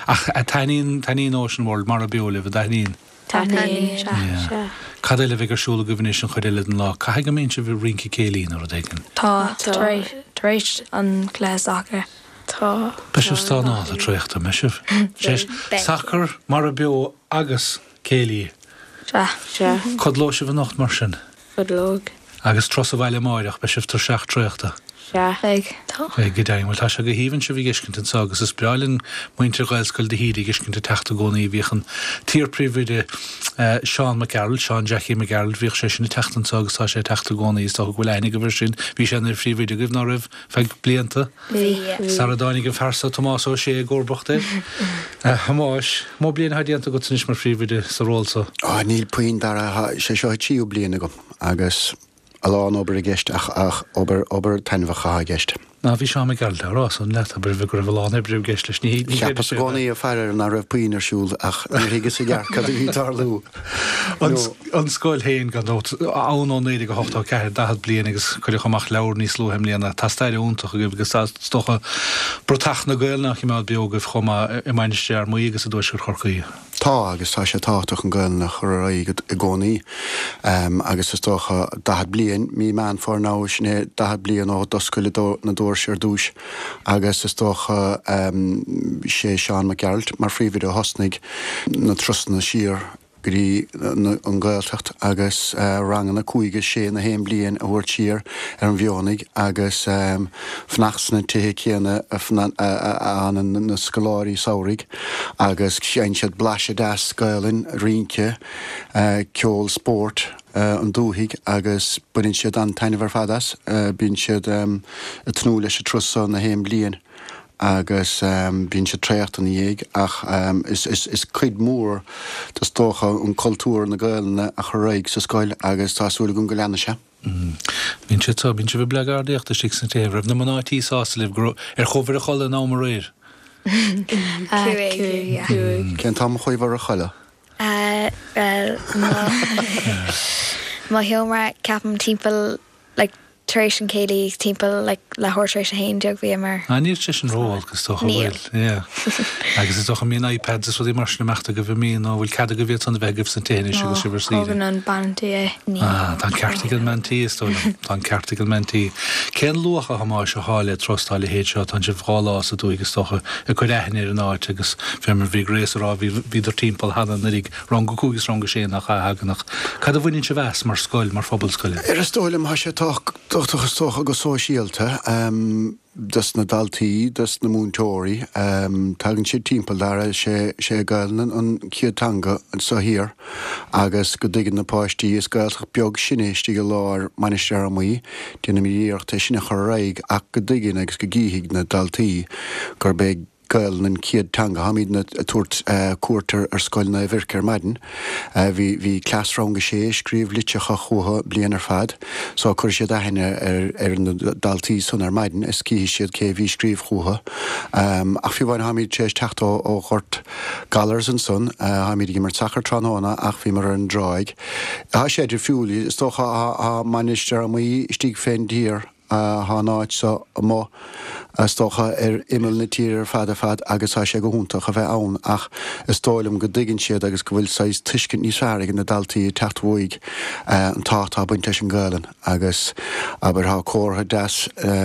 Ach taitníonn taitníonn Ocean World Mara Beo libh, an dtaitníonn? Taitníonn, sea, sea. Cad eile a bheidh ar siúl agaibh anois an chuid eile den lá? Caithfidh go mbíonn sibh ag rince céilí nó rud éigin. Tá, tar éis tar éis an cluiche sacair. Tá. Beidh sibh stánáilte traochta, mbeidh sibh? Sé Beidh. sacar, Mara Beo agus céilí. Sea. Sea. Codlóidh sibh anocht mar sin? Codlóidh. Agus turas abhaile amáireach, beidh sibh tuirseach traochta. Sea. Beidh. Tá. Beidh go deimhin. Bhuel, tá sé go haoibhinn sibh a dh'fheiscint anso agus is breá linn muintir Ghaelscoil de hÍde a dh'fheiscint ag teacht i gcónaí. Bhíodh an t-iar-phríomhoide Seán Mac Gearailt, Seán Jackie Mac Gearailt, bhíodh sé sin ag teacht anso agus tá sé ag teacht i gcónaí. Is dócha go bhfuil aithne agaibh air sin. Bhí sé ina phríomhoide agaibh, ná raibh, feadh blianta? Bhí. Sara dtáinig an fear so Tomás Ó Sé i gcomharbacht air. A Thomáis, mó bliain atá déanta agat anois mar phríomhoide sa ról so? Á, níl puinn, Dara, sé seo an tríú bliain agam agus a lán obair i gceist ach ach obair obair taitneamhach atá i gceist. Ná bhí Seán Mac Gearailt á rá san leat, abair, go raibh a lán oibre i gceist leis. Ní ní Cheapas i gcónaí ag faire air nach raibh puinn ar siúl ach níor thuigeas i gceart cad a bhí ag tarlú. An an scoil féin gan dabht, ann ó naoi déag a hochtó ceathair, daichead bliain agus cuireadh amach leabhar níos luaithe i mbliana. Tá stair iontach agaibh agus tá is dócha bratach na Gaelainne á choimeád beo agaibh chomh maith i Mainistir Fhear Maí agus i dTuaisceart Chorcaí. Tá, agus tá sé tábhachtach an Ghaelainn a chur ar aghaidh i gcónaí. Agus is dócha daichead bliain, mí Meán Fómhair now, sin é daichead bliain ó d'oscail na doirse ar dtús agus is dócha sé Seán Mac Gearailt mar phríomhoide a thosnaigh na turasanna siar go dtí an Ghaeltacht agus ranganna cúig is sé na haon bliain a thabhairt siar ar an Mhionnaigh agus fanacht sna tithe céanna a fhanann na scoláirí samhraidh agus faigheann siad blaiseadh deas Gaelainn, rince, ceol, spórt an dúthaigh agus baineann siad an-taitneamh ar fad as. Bíonn siad ag tnúth leis an turas seo na haon bliain. Agus bíonn siad traochta ina dhiaidh ach is cuid mhór is dócha an cultúr na Gaelainne a chur ar aghaidh sa scoil agus tá súil agam go leanfaidh sé. Bíonn siad so, bíonn sibh ag bleagardaíocht istigh sna tithe. Raibh na mná tí sásta libh go raibh, ar chuabhair a chodladh in am aréir? Cúig, yeah. Cén t-am a chuabhair a chodladh? Bhuel, mo, mo sheomra, ceapaim timpeall, like, tar éis an céilí timpeall like leathuair tar éis a haon déag bhíomar. Ah níl sé sin ró-olc is dócha, Níl. bhfuil? Yeah. Agus is dócha an mbíonn iPads is rudaí mar sin amach agaibh an mbíonn nó bhfuil cead agaibh iad san a bheith agaibh sna tithe anois agus sibh ar saoire? Tógann an bean tí é. Níl. Ah, tá an ceart ag an mbean tí is dóigh liom. Tá an ceart ag an mbean tí. Cén luach a Thomáis atá le turas dá leithéid seo? Tánn sibh dhá lá sa dúthaigh is dócha ag cur aithne ar an áit agus fé mar bhí Grace a rá bhí bhíodar timpeall cheana anuraidh, rang a cúig is rang a sé nach ea a thagann ach cad a bhaineann sibh as mar scoil, mar phobal scoile? Ar is dóigh liom tá sé tábhachtach is dócha go sóisialta dos na daltaí, dos na múinteoirí. Tagann siad timpeall Dara, sé sé Gaelainn an chéad teanga anseo thiar agus go dtuigeann na páistí, is Gaeltacht beag sinne istigh i lár Mainistir Fhear Maí, déanaimid iarracht é sin a chur ar aghaidh ach go dtuigeann agus go gcífidh na daltaí gurb é Gaelainn an chéad teanga. Táimidne ag tabhairt cuairt ar Scoil Naomh Eirc ar maidin. Bhí bhí cleas rang a sé ag scríobh litreacha chucu bliain ar fad so cuirfidh siad aithne ar ar na daltaí san ar maidin is cífidh siad cé a bhí ag scríobh chucu. Ach fiú amháin táimid tar éis teacht ó ó Ghort Gallar's ansan, táimid ag imirt sacair tráthnóna ach bhíomar ar an dtráigh. Tá sé difriúil, is dócha tá Mainistir Fhear Maí istigh fén dtír. Tá an áit seo amuigh, is dócha, ar imeall na tíre ar fad ar fad agus tá sé go hiontach a bheith ann ach is dóigh liom go dtuigeann siad agus go bhfuil saghas tuiscint níos fearr ag na daltaí ag teacht uaidh an tábhacht atá ag baint leis an Ghaelainn agus, abair, tá comhartha deas,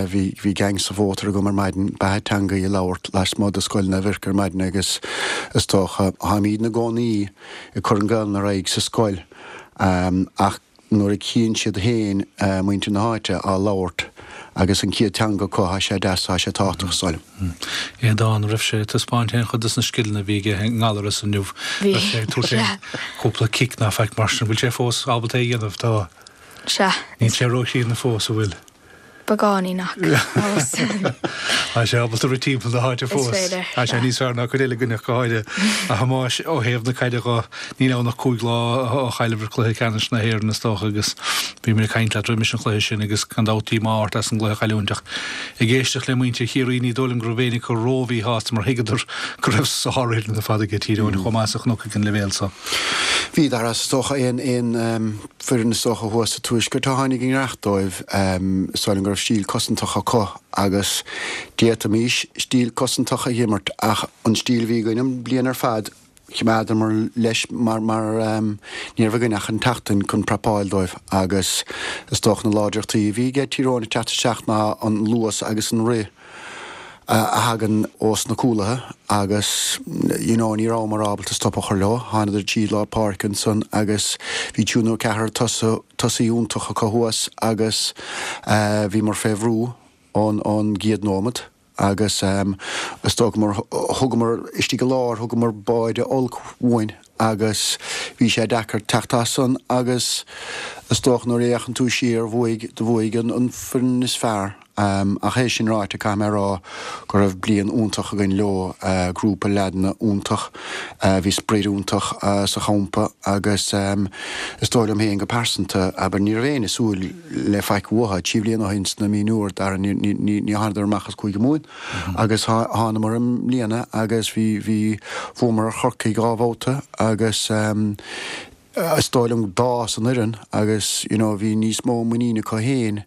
bhí, bhí gang sa mhótar agam ar maidin, beatha teangaí a labhairt lasmuigh de Scoil Naomh Eirc ar maidin agus is dócha, táimid ina gcónaí ag cur an Ghaelainn ar aghaidh sa scoil ach nuair a chíonn siad féin muintir na háite á labhairt agus an chéad teanga acu, tá sé deas, tá sé tábhachtach, is dóigh liom. Aodán, raibh sé ag taispeáint aon chuid de na scileanna a bhí aige i nGallaras inniu? Bhí. Raibh sé ag tabhairt aon chúpla cic ná faic mar sin? Bhfuil sé fós ábalta é a dhéanamh? Tá. Sea. Níl sé róchríonna fós, an bhfuil? Beagáinín ach fós. Tá sé ábalta rith timpeall na háite fós. Is féidir. Tá sé níos fearr ná cuid eile againne ach go háirithe. A Thomáis, ó thaobh na caide dho, níl ann ach cúig lá ó chailleabhair cluiche ceannais na hÉireann is dócha agus bhíomar ag caint leat roimis an chluiche sin agus gan dabht díomá ort as an gcluiche a chailliúint ach ag éisteacht le muintir Chiarraí ní dóigh liom go raibh éinne acu ró-mhíshásta mar thuigeadar go raibh sárfhoireann ar fad aige Tír Eoghain chomh maith sa chnoc ag an leibhéal so. Bhí, Dara, is dócha aon aon foireann is dócha thuas sa tuaisceart a tháinig i ngiorracht dóibh. Is dóigh liom go raibh stíl cosantach acu agus d'fhéadfaimis stíl cosantach a dh'imirt ach an stíl a bhí againn an bliain ar fad choimeádamar leis mar mar ní raibh againn ach an tseachtain chun prapáil dóibh agus is dócha na láidreachtaí a bhí aige Tír Eoghain ag teacht isteach ná an luas agus an rith a thagann ós na cúlaithe agus you know ní rabhamar ábalta stop a chur leo. Thánadar tríd lár páirce ansan agus bhí triúr nó ceathrar tosaí iontach acu thuas agus bhíomar fé bhrú ón ón gcéad nóimeat agus is dócha mar thugamar istigh i lár thugamar báide olc uainn agus bhí sé deacair teacht as san agus is dócha nuair a fhéachann tú siar bhuaigh do bhuaigh an an foireann is fearr. Ach é sin ráite, caithfidh mé a rá go raibh bliain iontach againn leo, grúpa leaideanna iontach, bhí sprid iontach sa champa agus is dóigh liom féin go pearsanta, abair, ní raibh éinne ag súil le faic uathu trí bhliana ó shin sna mionúir, Dara, ní thánadar amach as Cúige Mumhan agus thánamar i mbliana agus bhí, bhí, bhuamar ar Chorcaigh dhá bhabhta agus. Is dóigh liom d'fhás an fhoireann agus you know bhí níos mó muiníne acu féin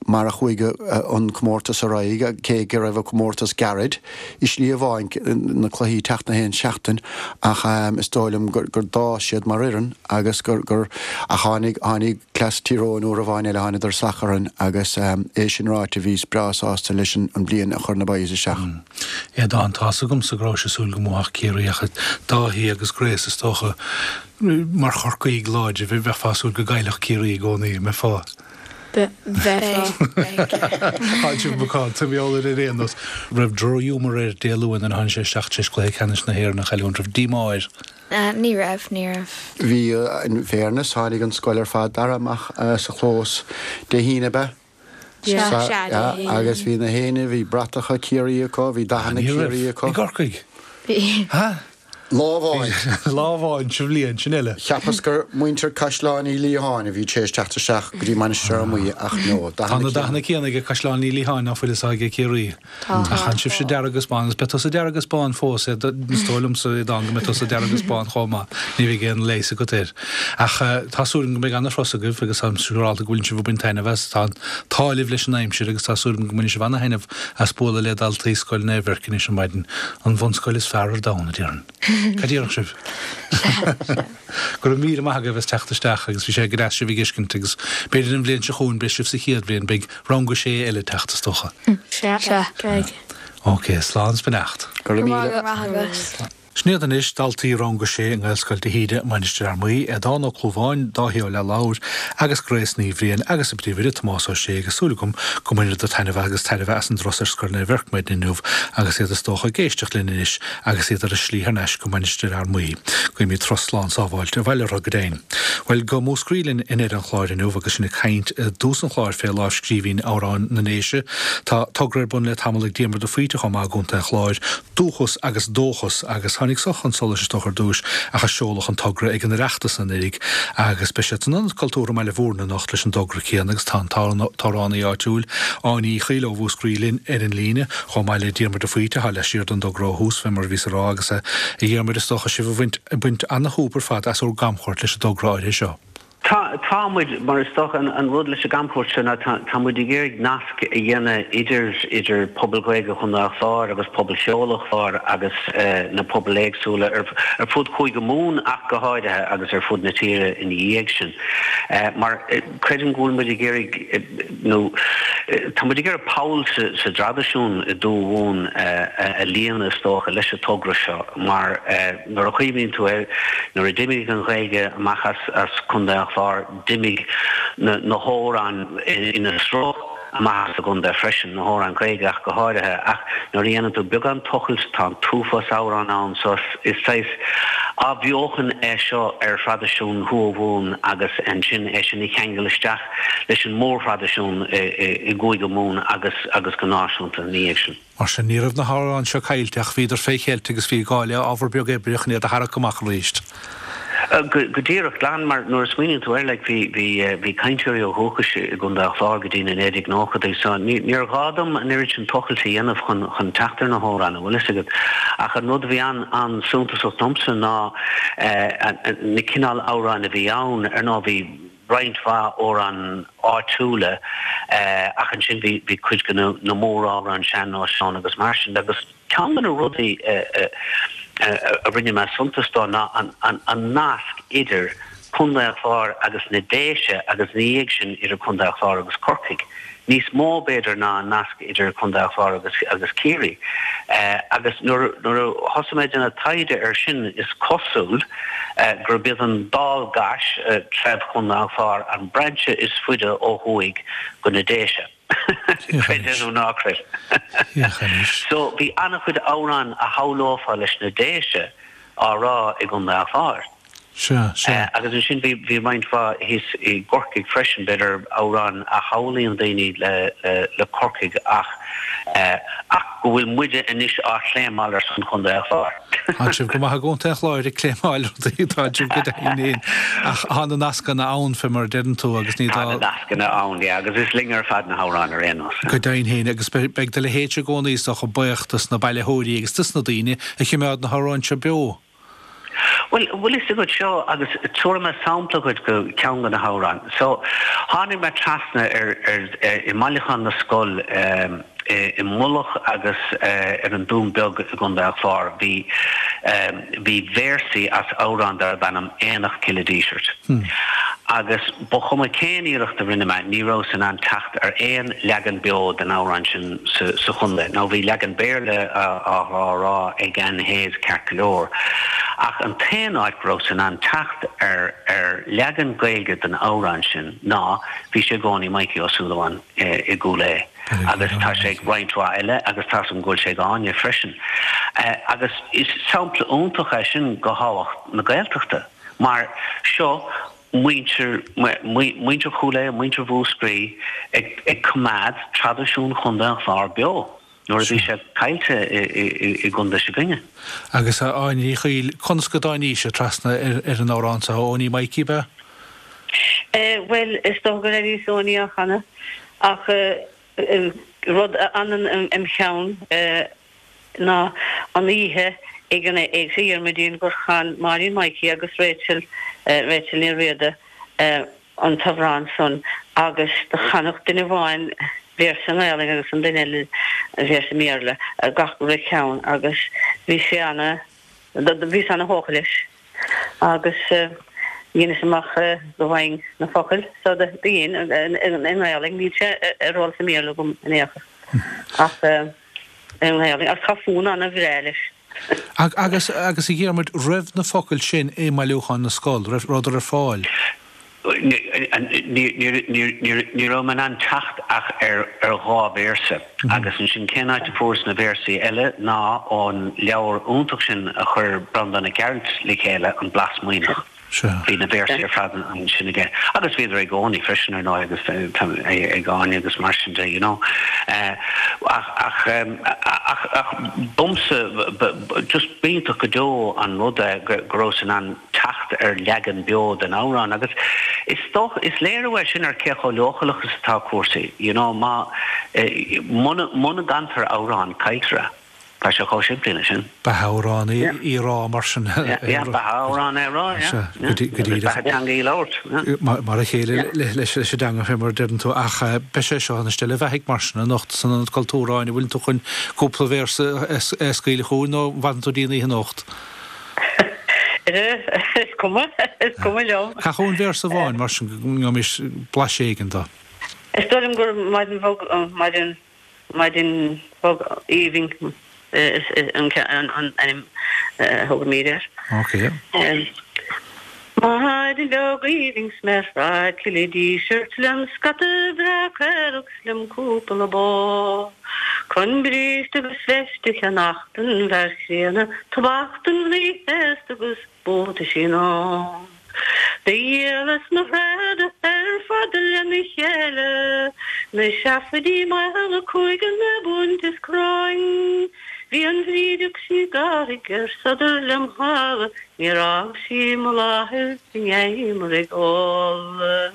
mar a chuaigh an comórtas ar aghaidh, cé go raibh an comórtas gairid i slí amháin, na cluichí ag teacht na haon seachtain, ach is dóigh liom gur d'fhás siad mar fhoireann agus gur, gur, ach tháinig, tháinig cleas Tír Eoghain uair amháin eile, thánadar salach orainn agus é sin ráite bhíos breá sásta leis an bliain a chuir na boys isteach. Aodán, Tá's agamsa go rabhais ag súil go mbuafadh Ciarraí ach Dáithí agus Grace is dócha Mar Chorcaígh láidre, bheifeá ag súil go gcaillfeadh Ciarraí i gcónaí, an mbeifeá? Bheifeá. Tá sibh macánta, mar gheall air ar aon nós. Raibh drochghiúmar air Dé Luain nuair a tháinig sé isteach tar éis cluiche ceannais na hÉireann a chailliúint? Raibh díomá air? Ní raibh, ní raibh. Bhí, in fairness, tháinig an scoil ar fad, Dara, amach sa chlós Dé hAoine, ab ea? Sea, sea, Dé hAoine. Agus bhí na héinne, bhí bratacha Ciarraí acu, bhí dathanna Ní raibh. Ciarraí acu. I gCorcaigh? Bhí. Ha? Lá amháin. Lá amháin sa bhliain, sin uile. Cheapas gur muintir Caisleán Uí Liatháin a bhí tar éis teacht isteach go dtí Mainistir Fhear Maí ach no, Tá na dathanna céanna ag Caisleán Uí Liatháin ná fuil is ag Ciarraí. Tá. Ach chan sibhse dearg agus bán agus beidh tusa dearg agus bán fós, is dóigh liomsa Aodán go mbeidh tusa dearg agus bán chomh maith, ní bheidh aon leigheas agat air. Ach tá súil agam go mbeidh ana-thuras agaibh agus táim siúrálta go bhfuil sibh ag baint taitneamh as. Tá an t-ádh libh leis an aimsir agus tá súil agam go mbainfidh sibh ana-thaitneamh as bualadh le daltaí Scoil Naomh Eirc anois ar maidin, an bhunscoil is fearr ar domhan, a déarfainn. Cad déarfadh sibh? Go raibh míle maith agaibh as teacht isteach agus bhí sé go deas sibh a fheiscint agus b'fhéidir an bhliain seo chugainn beidh sibh sa chéad bhliain, beidh rang a sé eile ag teacht is dócha. Sea. Sea. Beidh. Ok, slán is beannacht. Go raibh míle. Go raibh maith agat. Sin iad anois daltaí rang a sé i nGaelscoil de hÍde, Mainistir Fhear Maí, Aodán Ó Clúmháin, Dáithí Ó Leathlabhair agus Grace Ní Bhriain agus a bpríomhoide Tomás Ó Sé agus súil agam go mbaineadar taitneamh agus tairbhe as an dturas ar Scoil Naomh Eirc maidin inniu agus iad is dócha ag éisteacht linn anois agus iad ar a slí thar n-ais go Mainistir Fhear Maí. Guímid turas slán sábháilte abhaile orthu go deimhin. Bhuel, go Múscraí linn i ndeireadh an chláir inniu agus sinn ag caint i dtús an chláir fé lámhscríbhinn Amhráin na nDéise. Tá togra ar bun le tamall ag Diarmuid de Faoite chomh maith i gContae an Chláir, Dúchas agus Dóchas agus tháinig so chun solais is dócha ar dtús ach a seoladh an togra ag an Oireachtas anuraidh agus beidh siad san Ionad Cultúrtha i mBaile Bhúirne anocht leis an dtogra céanna agus tá an t-amhránaí áitiúil Áine Uí Chaoil ó Mhúscraí linn ar an líne chomh maith le Diarmuid de Faoite atá laistiar den dtogra ó thús fé mar a bhíos a rá agus a Dhiarmuid is dócha sibh a bhaint baint ana-shúp ar fad as bhur gcamchuairt leis an dtogra áirithe seo. Tá, tá muid, mar is dócha an, an rud leis an gcamchuairt seo ná tá, tá muid ag iarraidh nasc a dhéanamh idir, idir pobal Gaeilge Chontae an Chláir agus pobal cheoil an Chláir agus eh, na pobail éagsúla ar, ar fud Chúige Mumhan ach go háirithe agus ar fud na tíre ina dhiaidh sin. Eh, mar eh, creidim go bhfuil muid ag iarraidh eh, nó eh, tá muid ag iarraidh poll sa, sa dtraidisiún i dTuath Mhumhan eh, a, a líonadh is dócha leis an togra seo mar eh, nuair a chuimhníonn tú air nuair a d'imigh an Ghaeilge amach as, as Contae an Chláir d'imigh na, na hamhráin ina sruth amach as an gcontae freisin, na hamhráin Ghaeilge ach go háirithe ach nuair a dhéanann tú beagán tochailt tá an t-uafás amhrán ann so is saghas athbheochan é seo ar thraidisiún Thuath Mhumhan agus ansin é sin a cheangal isteach leis an mórthraidisiún i gCúige Mumhan agus agus go náisiúnta ina dhiaidh sin. Mar sin ní raibh na hamhráin seo caillte ach bhíodar fé cheilt agus bhí gá le ábhar beag oibre chun iad a tharrac amach arís. Go díreach glan mar nuair a smaoiníonn tú air like bhí bhí bhí cainteoirí ó dhúchas i gContae an Chláir go dtí na naoi déag nóchaidí so ní níor ghá dom an oiread sin tochailt a dhéanamh chun chun teacht ar na hamhráin an bhfuil fhios agat. Ach an rud a bhí an an-suntasach domsa ná na cineál amhráin a bhí ann ar ndóigh bhí roinnt mhaith amhrán áitiúla ach ansin bhí bhí cuid de na na móramhráin sean-nóis ann agus mar sin de agus ceann de na rudaí a rinne mé suntas dó ná an nasc idir Contae an Chláir agus na Déise agus ina dhiaidh sin idir Contae an Chláir agus Corcaigh, níos mó b'fhéidir ná an nasc idir Contae an Chláir agus agus Ciarraí. Agus nuair nuair a thosaigh mé ag déanamh taighde air sin is cosúil gurb iad an Dál gCais, treibh Chontae an Chláir, an brainse is faide ó thuaidh go na Déise. Creid é nó ná creid. So bhí an-chuid amhrán a shamhlófá leis na Déise á rá i gContae an Chláir. Sea, sea. Agus ansin bhí bhí roinnt mhaith thíos i gCorcaigh freisin, b'fhéidir amhráin a shamhlaíonn daoine le le le Corcaigh ach ach go bhfuil muide anois á chléimeáil ar son Chontae an Chláir. Tá sibh go maith i gContae an Chláir ag cléimeáil rudaí, tá sibh go deimhin féin. Ach tá na nascanna ann fé mar a deireann tú agus ní Tá na nascanna ann, yeah, agus is linn ar fad na hamhráin ar aon nós. Go deimhin féin agus beidh do leithéidse i gcónaí is dócha buíoch dos na bailitheoirí agus dos na daoine a choimeád na hamhráin seo beo. Bhuel, bhfuil fhios agat seo agus tabharfaidh mé sampla dhuit de cheann de na hamhráin. So, tháinig mé trasna ar, ar, i mbailiúchán na scol i Mullach agus ar an Dún Beag i gContae an Chláir, bhí, bhí véarsaí as amhrán darb ainm Aonach Cille Dísirt. Agus ba chuma cén iarracht a rinne mé, ní rabhas in ann teacht ar aon leagan beo den amhrán sin sa chontae. Now bhí leagan Béarla á rá ag Anne Hayes ceart go leor, ach an t-aon áit go rabhas in ann teacht ar ar leagan Gaeilge den amhrán sin ná bhí sé i gcónaí Mikey Ó Súilleabháin i gCúil Aodha. Agus tá sé ag roinnt mhaith eile agus tá's agam go bhfuil sé ag Áine freisin. Agus is sampla iontach é sin de thábhacht na Gaeltachta mar seo muintir, muintir Chúil Aodha, muintir Mhúscraí ag coimeád traidisiún Chontae an Chláir beo. nuair a bhí sé caillte i gcontae s'againne. Agus a Áine Ní Chuill, conas go dtáinís trasna ar an amhrán seo, Eoiní Maidhcí, ab ea? Bhuel, is dócha go raibh fhios Eoiní á chanadh, ach rud a fhanann im cheann ná an oíche ag an Éigse Dhiarmuidín gur chan Máirín Maidhcí agus Rachel, Rachel Ní Riada, an t-amhrán san agus do chanadh duine amháin véarsa i nGaelainn agus an duine eile véarsa i mBéarla, gach re ceann agus bhí sé ana, bhíos ana thógtha leis agus dheineas amach go bhfaighinn na focail so do dhein i nGaelainn, níl sé ar eolas i mBéarla agam in aon chor ach i nGaelainn agus tá fonn ana bhreá leis. Agus, agus a Dhiarmuid, raibh na focail sin i mBailiúchán na Scol, raibh, rabhadar ar fáil? Ní raibh mé in ann teacht ach ar dhá véarsa agus ansin cén áit a fuaireas na véarsaí eile ná ón leabhar iontach sin a chuir Breandán Mac Gearailt le chéile, An Blas Maoithneach. Bhí na véarsaí ar fad ansin aige agus bhíodar ag Eoiní freisin ar ndóigh agus ag Áine agus mar sin de you know. Ach ach ach ach domsa just b'iontach go deo an rud é go rabhas in ann teacht ar leagan beo den amhrán agus is dócha, is léiriú é sin ar cé chomh leochaileach is atá cúrsaí, you know, má, muna, muna gcantar amhrán, cailltear é. Tá sé chomh simplí leis sin. Beatha amhrán í a rá mar sin. Yeah, beatha amhrán é a rá, yeah. Sea, go díreach. Beatha teanga í a labhairt, yeah. Mar a chéile leis an dteanga fé mar a deireann tú ach beidh sé seo ina steille bheathaidh mar sin anocht san Ionad Cultúrtha, Áine, bhfuileann tú chun cúpla véarsa a scaoileadh chugainn nó an bhfanann tú dtí an oíche anocht? Is cuma, is cuma liom. Can chugainn véarsa amháin mar sin go ngabhaimis blaiseadh éigin de. Is dóigh liom gur maidin bhog, maidin, maidin bhog aoibhinn an ainm a thugaimid air. Ok. Maidin bheag aoibhinn 's mé ar Shráid Chille Dísirt lem scata breá caorach 's lem cúpla bó Chun bríste agus veist a cheannach don bhfear chríonna, Tobac don mhnaoi chéasta agus buataisí nua. Do dhíolas mo thréada ar fad lena chéile, Na seafaidí maola cúig ar na bunt is crainn. Bhí an bhrídeach sí gairid ar sodar lem shála, Níor fhág sí mo láthair go ndeaghamar ag ól.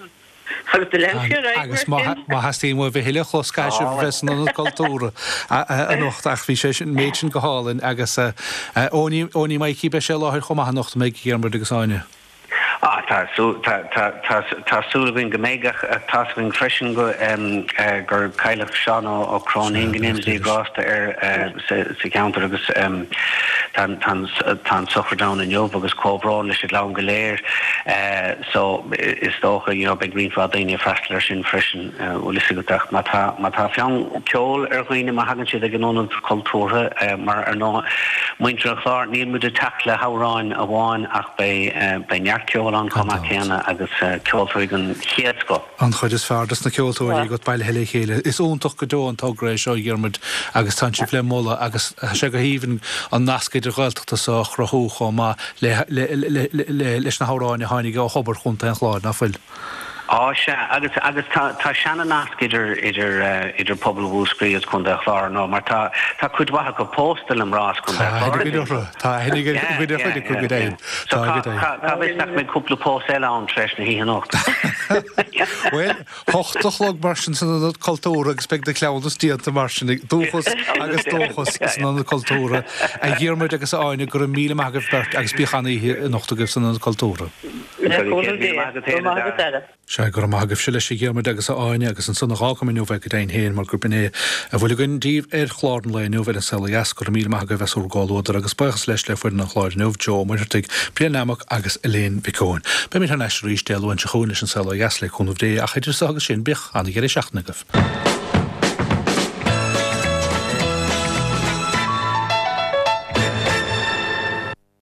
Agus do lean sí ar aghaidh Agus mar sin. má theastaíonn uaibh a thuilleadh a chlos caithfidh sibh a bheith san Ionad Cultúrtha anocht ach bhí sé sin, méid sin go hálainn agus Eoiní, Eoiní Maidhcí beidh sé i láthair chomh maith anocht, an mbeidh, a Dhiarmuid agus Áine? Ah tá tá tá tá tá súil againn go mbeidh ach tá's againn freisin go gur cailleadh Seán Ó Cróinín go ndéana Dia grásta air sa sa cheantar agus tá tá tá an sochraid ann inniu agus comhbhrón leis an gclann go léir. So is dócha you know beidh roinnt mhaith daoine ag freastal air sin freisin bhfuil fhios agat ach má tá má tá fonn ceoil ar dhaoine má thagann siad ag an Ionad Cultúrtha mar ar ndóigh muintir an Chláir níl muid ag teacht le hamhráin amháin ach beidh beidh neart ceoil ann chomh maith céanna agus ceoltóirí den chéad scoth. An chuid is fearr dos na ceoltóirí agat bailithe le chéile. Is iontach go deo an togra é seo a Dhiarmuid agus tánn sibh le moladh agus tá sé go haoibhinn an nasc idir-Ghaeltachta so a chruthú chomh maith le le leis na hamhráin a tháinig ó thobar Chontae an Chláir, ná fuil? Á sea, agus agus tá tá seana-nasc idir idir idir pobal Mhúscraí agus Contae an Chláir nó mar tá tá cuid mhaith acu pósta le mná as Contae an Chláir. Tá aithne againn orthu, tá aithne ag an gcuid ar chuid acu go deimhin. So cá cá cá bhfios nach mbeidh cúpla pósadh eile ann tar éis na hoíche anocht. Bhuel, hocht a chlog mar sin san Ionad Cultúrtha agus beidh na cleamhnais déanta mar sin ag Dúchas agus Dóchas san Ionad Cultúrtha. A Dhiarmuid agus a Áine, go raibh míle maith agaibh beirt agus bíodh an-oíche anocht agaibh san Ionad Cultúrtha. Le cúnamh Dé. Go raibh maith agat Dara. Sea, go raibh maith agaibhse leis a Dhiarmuid agus a Áine agus ansan a dh'fhágfaidh mé inniu é go deimhin féin mar gurb in é a bhfuil againn daoibh ar chlár an lae inniu ar An Saol Ó Dheas. Go raibh míle maith agaibh as bhur gcomhluadar agus buíochas leis le foireann an chláir inniu, Joe Ó Muircheartaigh, Brian Nammock agus Elaine Mhic Eoin. Beimid thar n-ais arís Dé Luain seo chugainn leis An Saol Ó Dheas le cúnamh Dé ach idir so agus sin bíodh an-dheireadh seachtaine agaibh.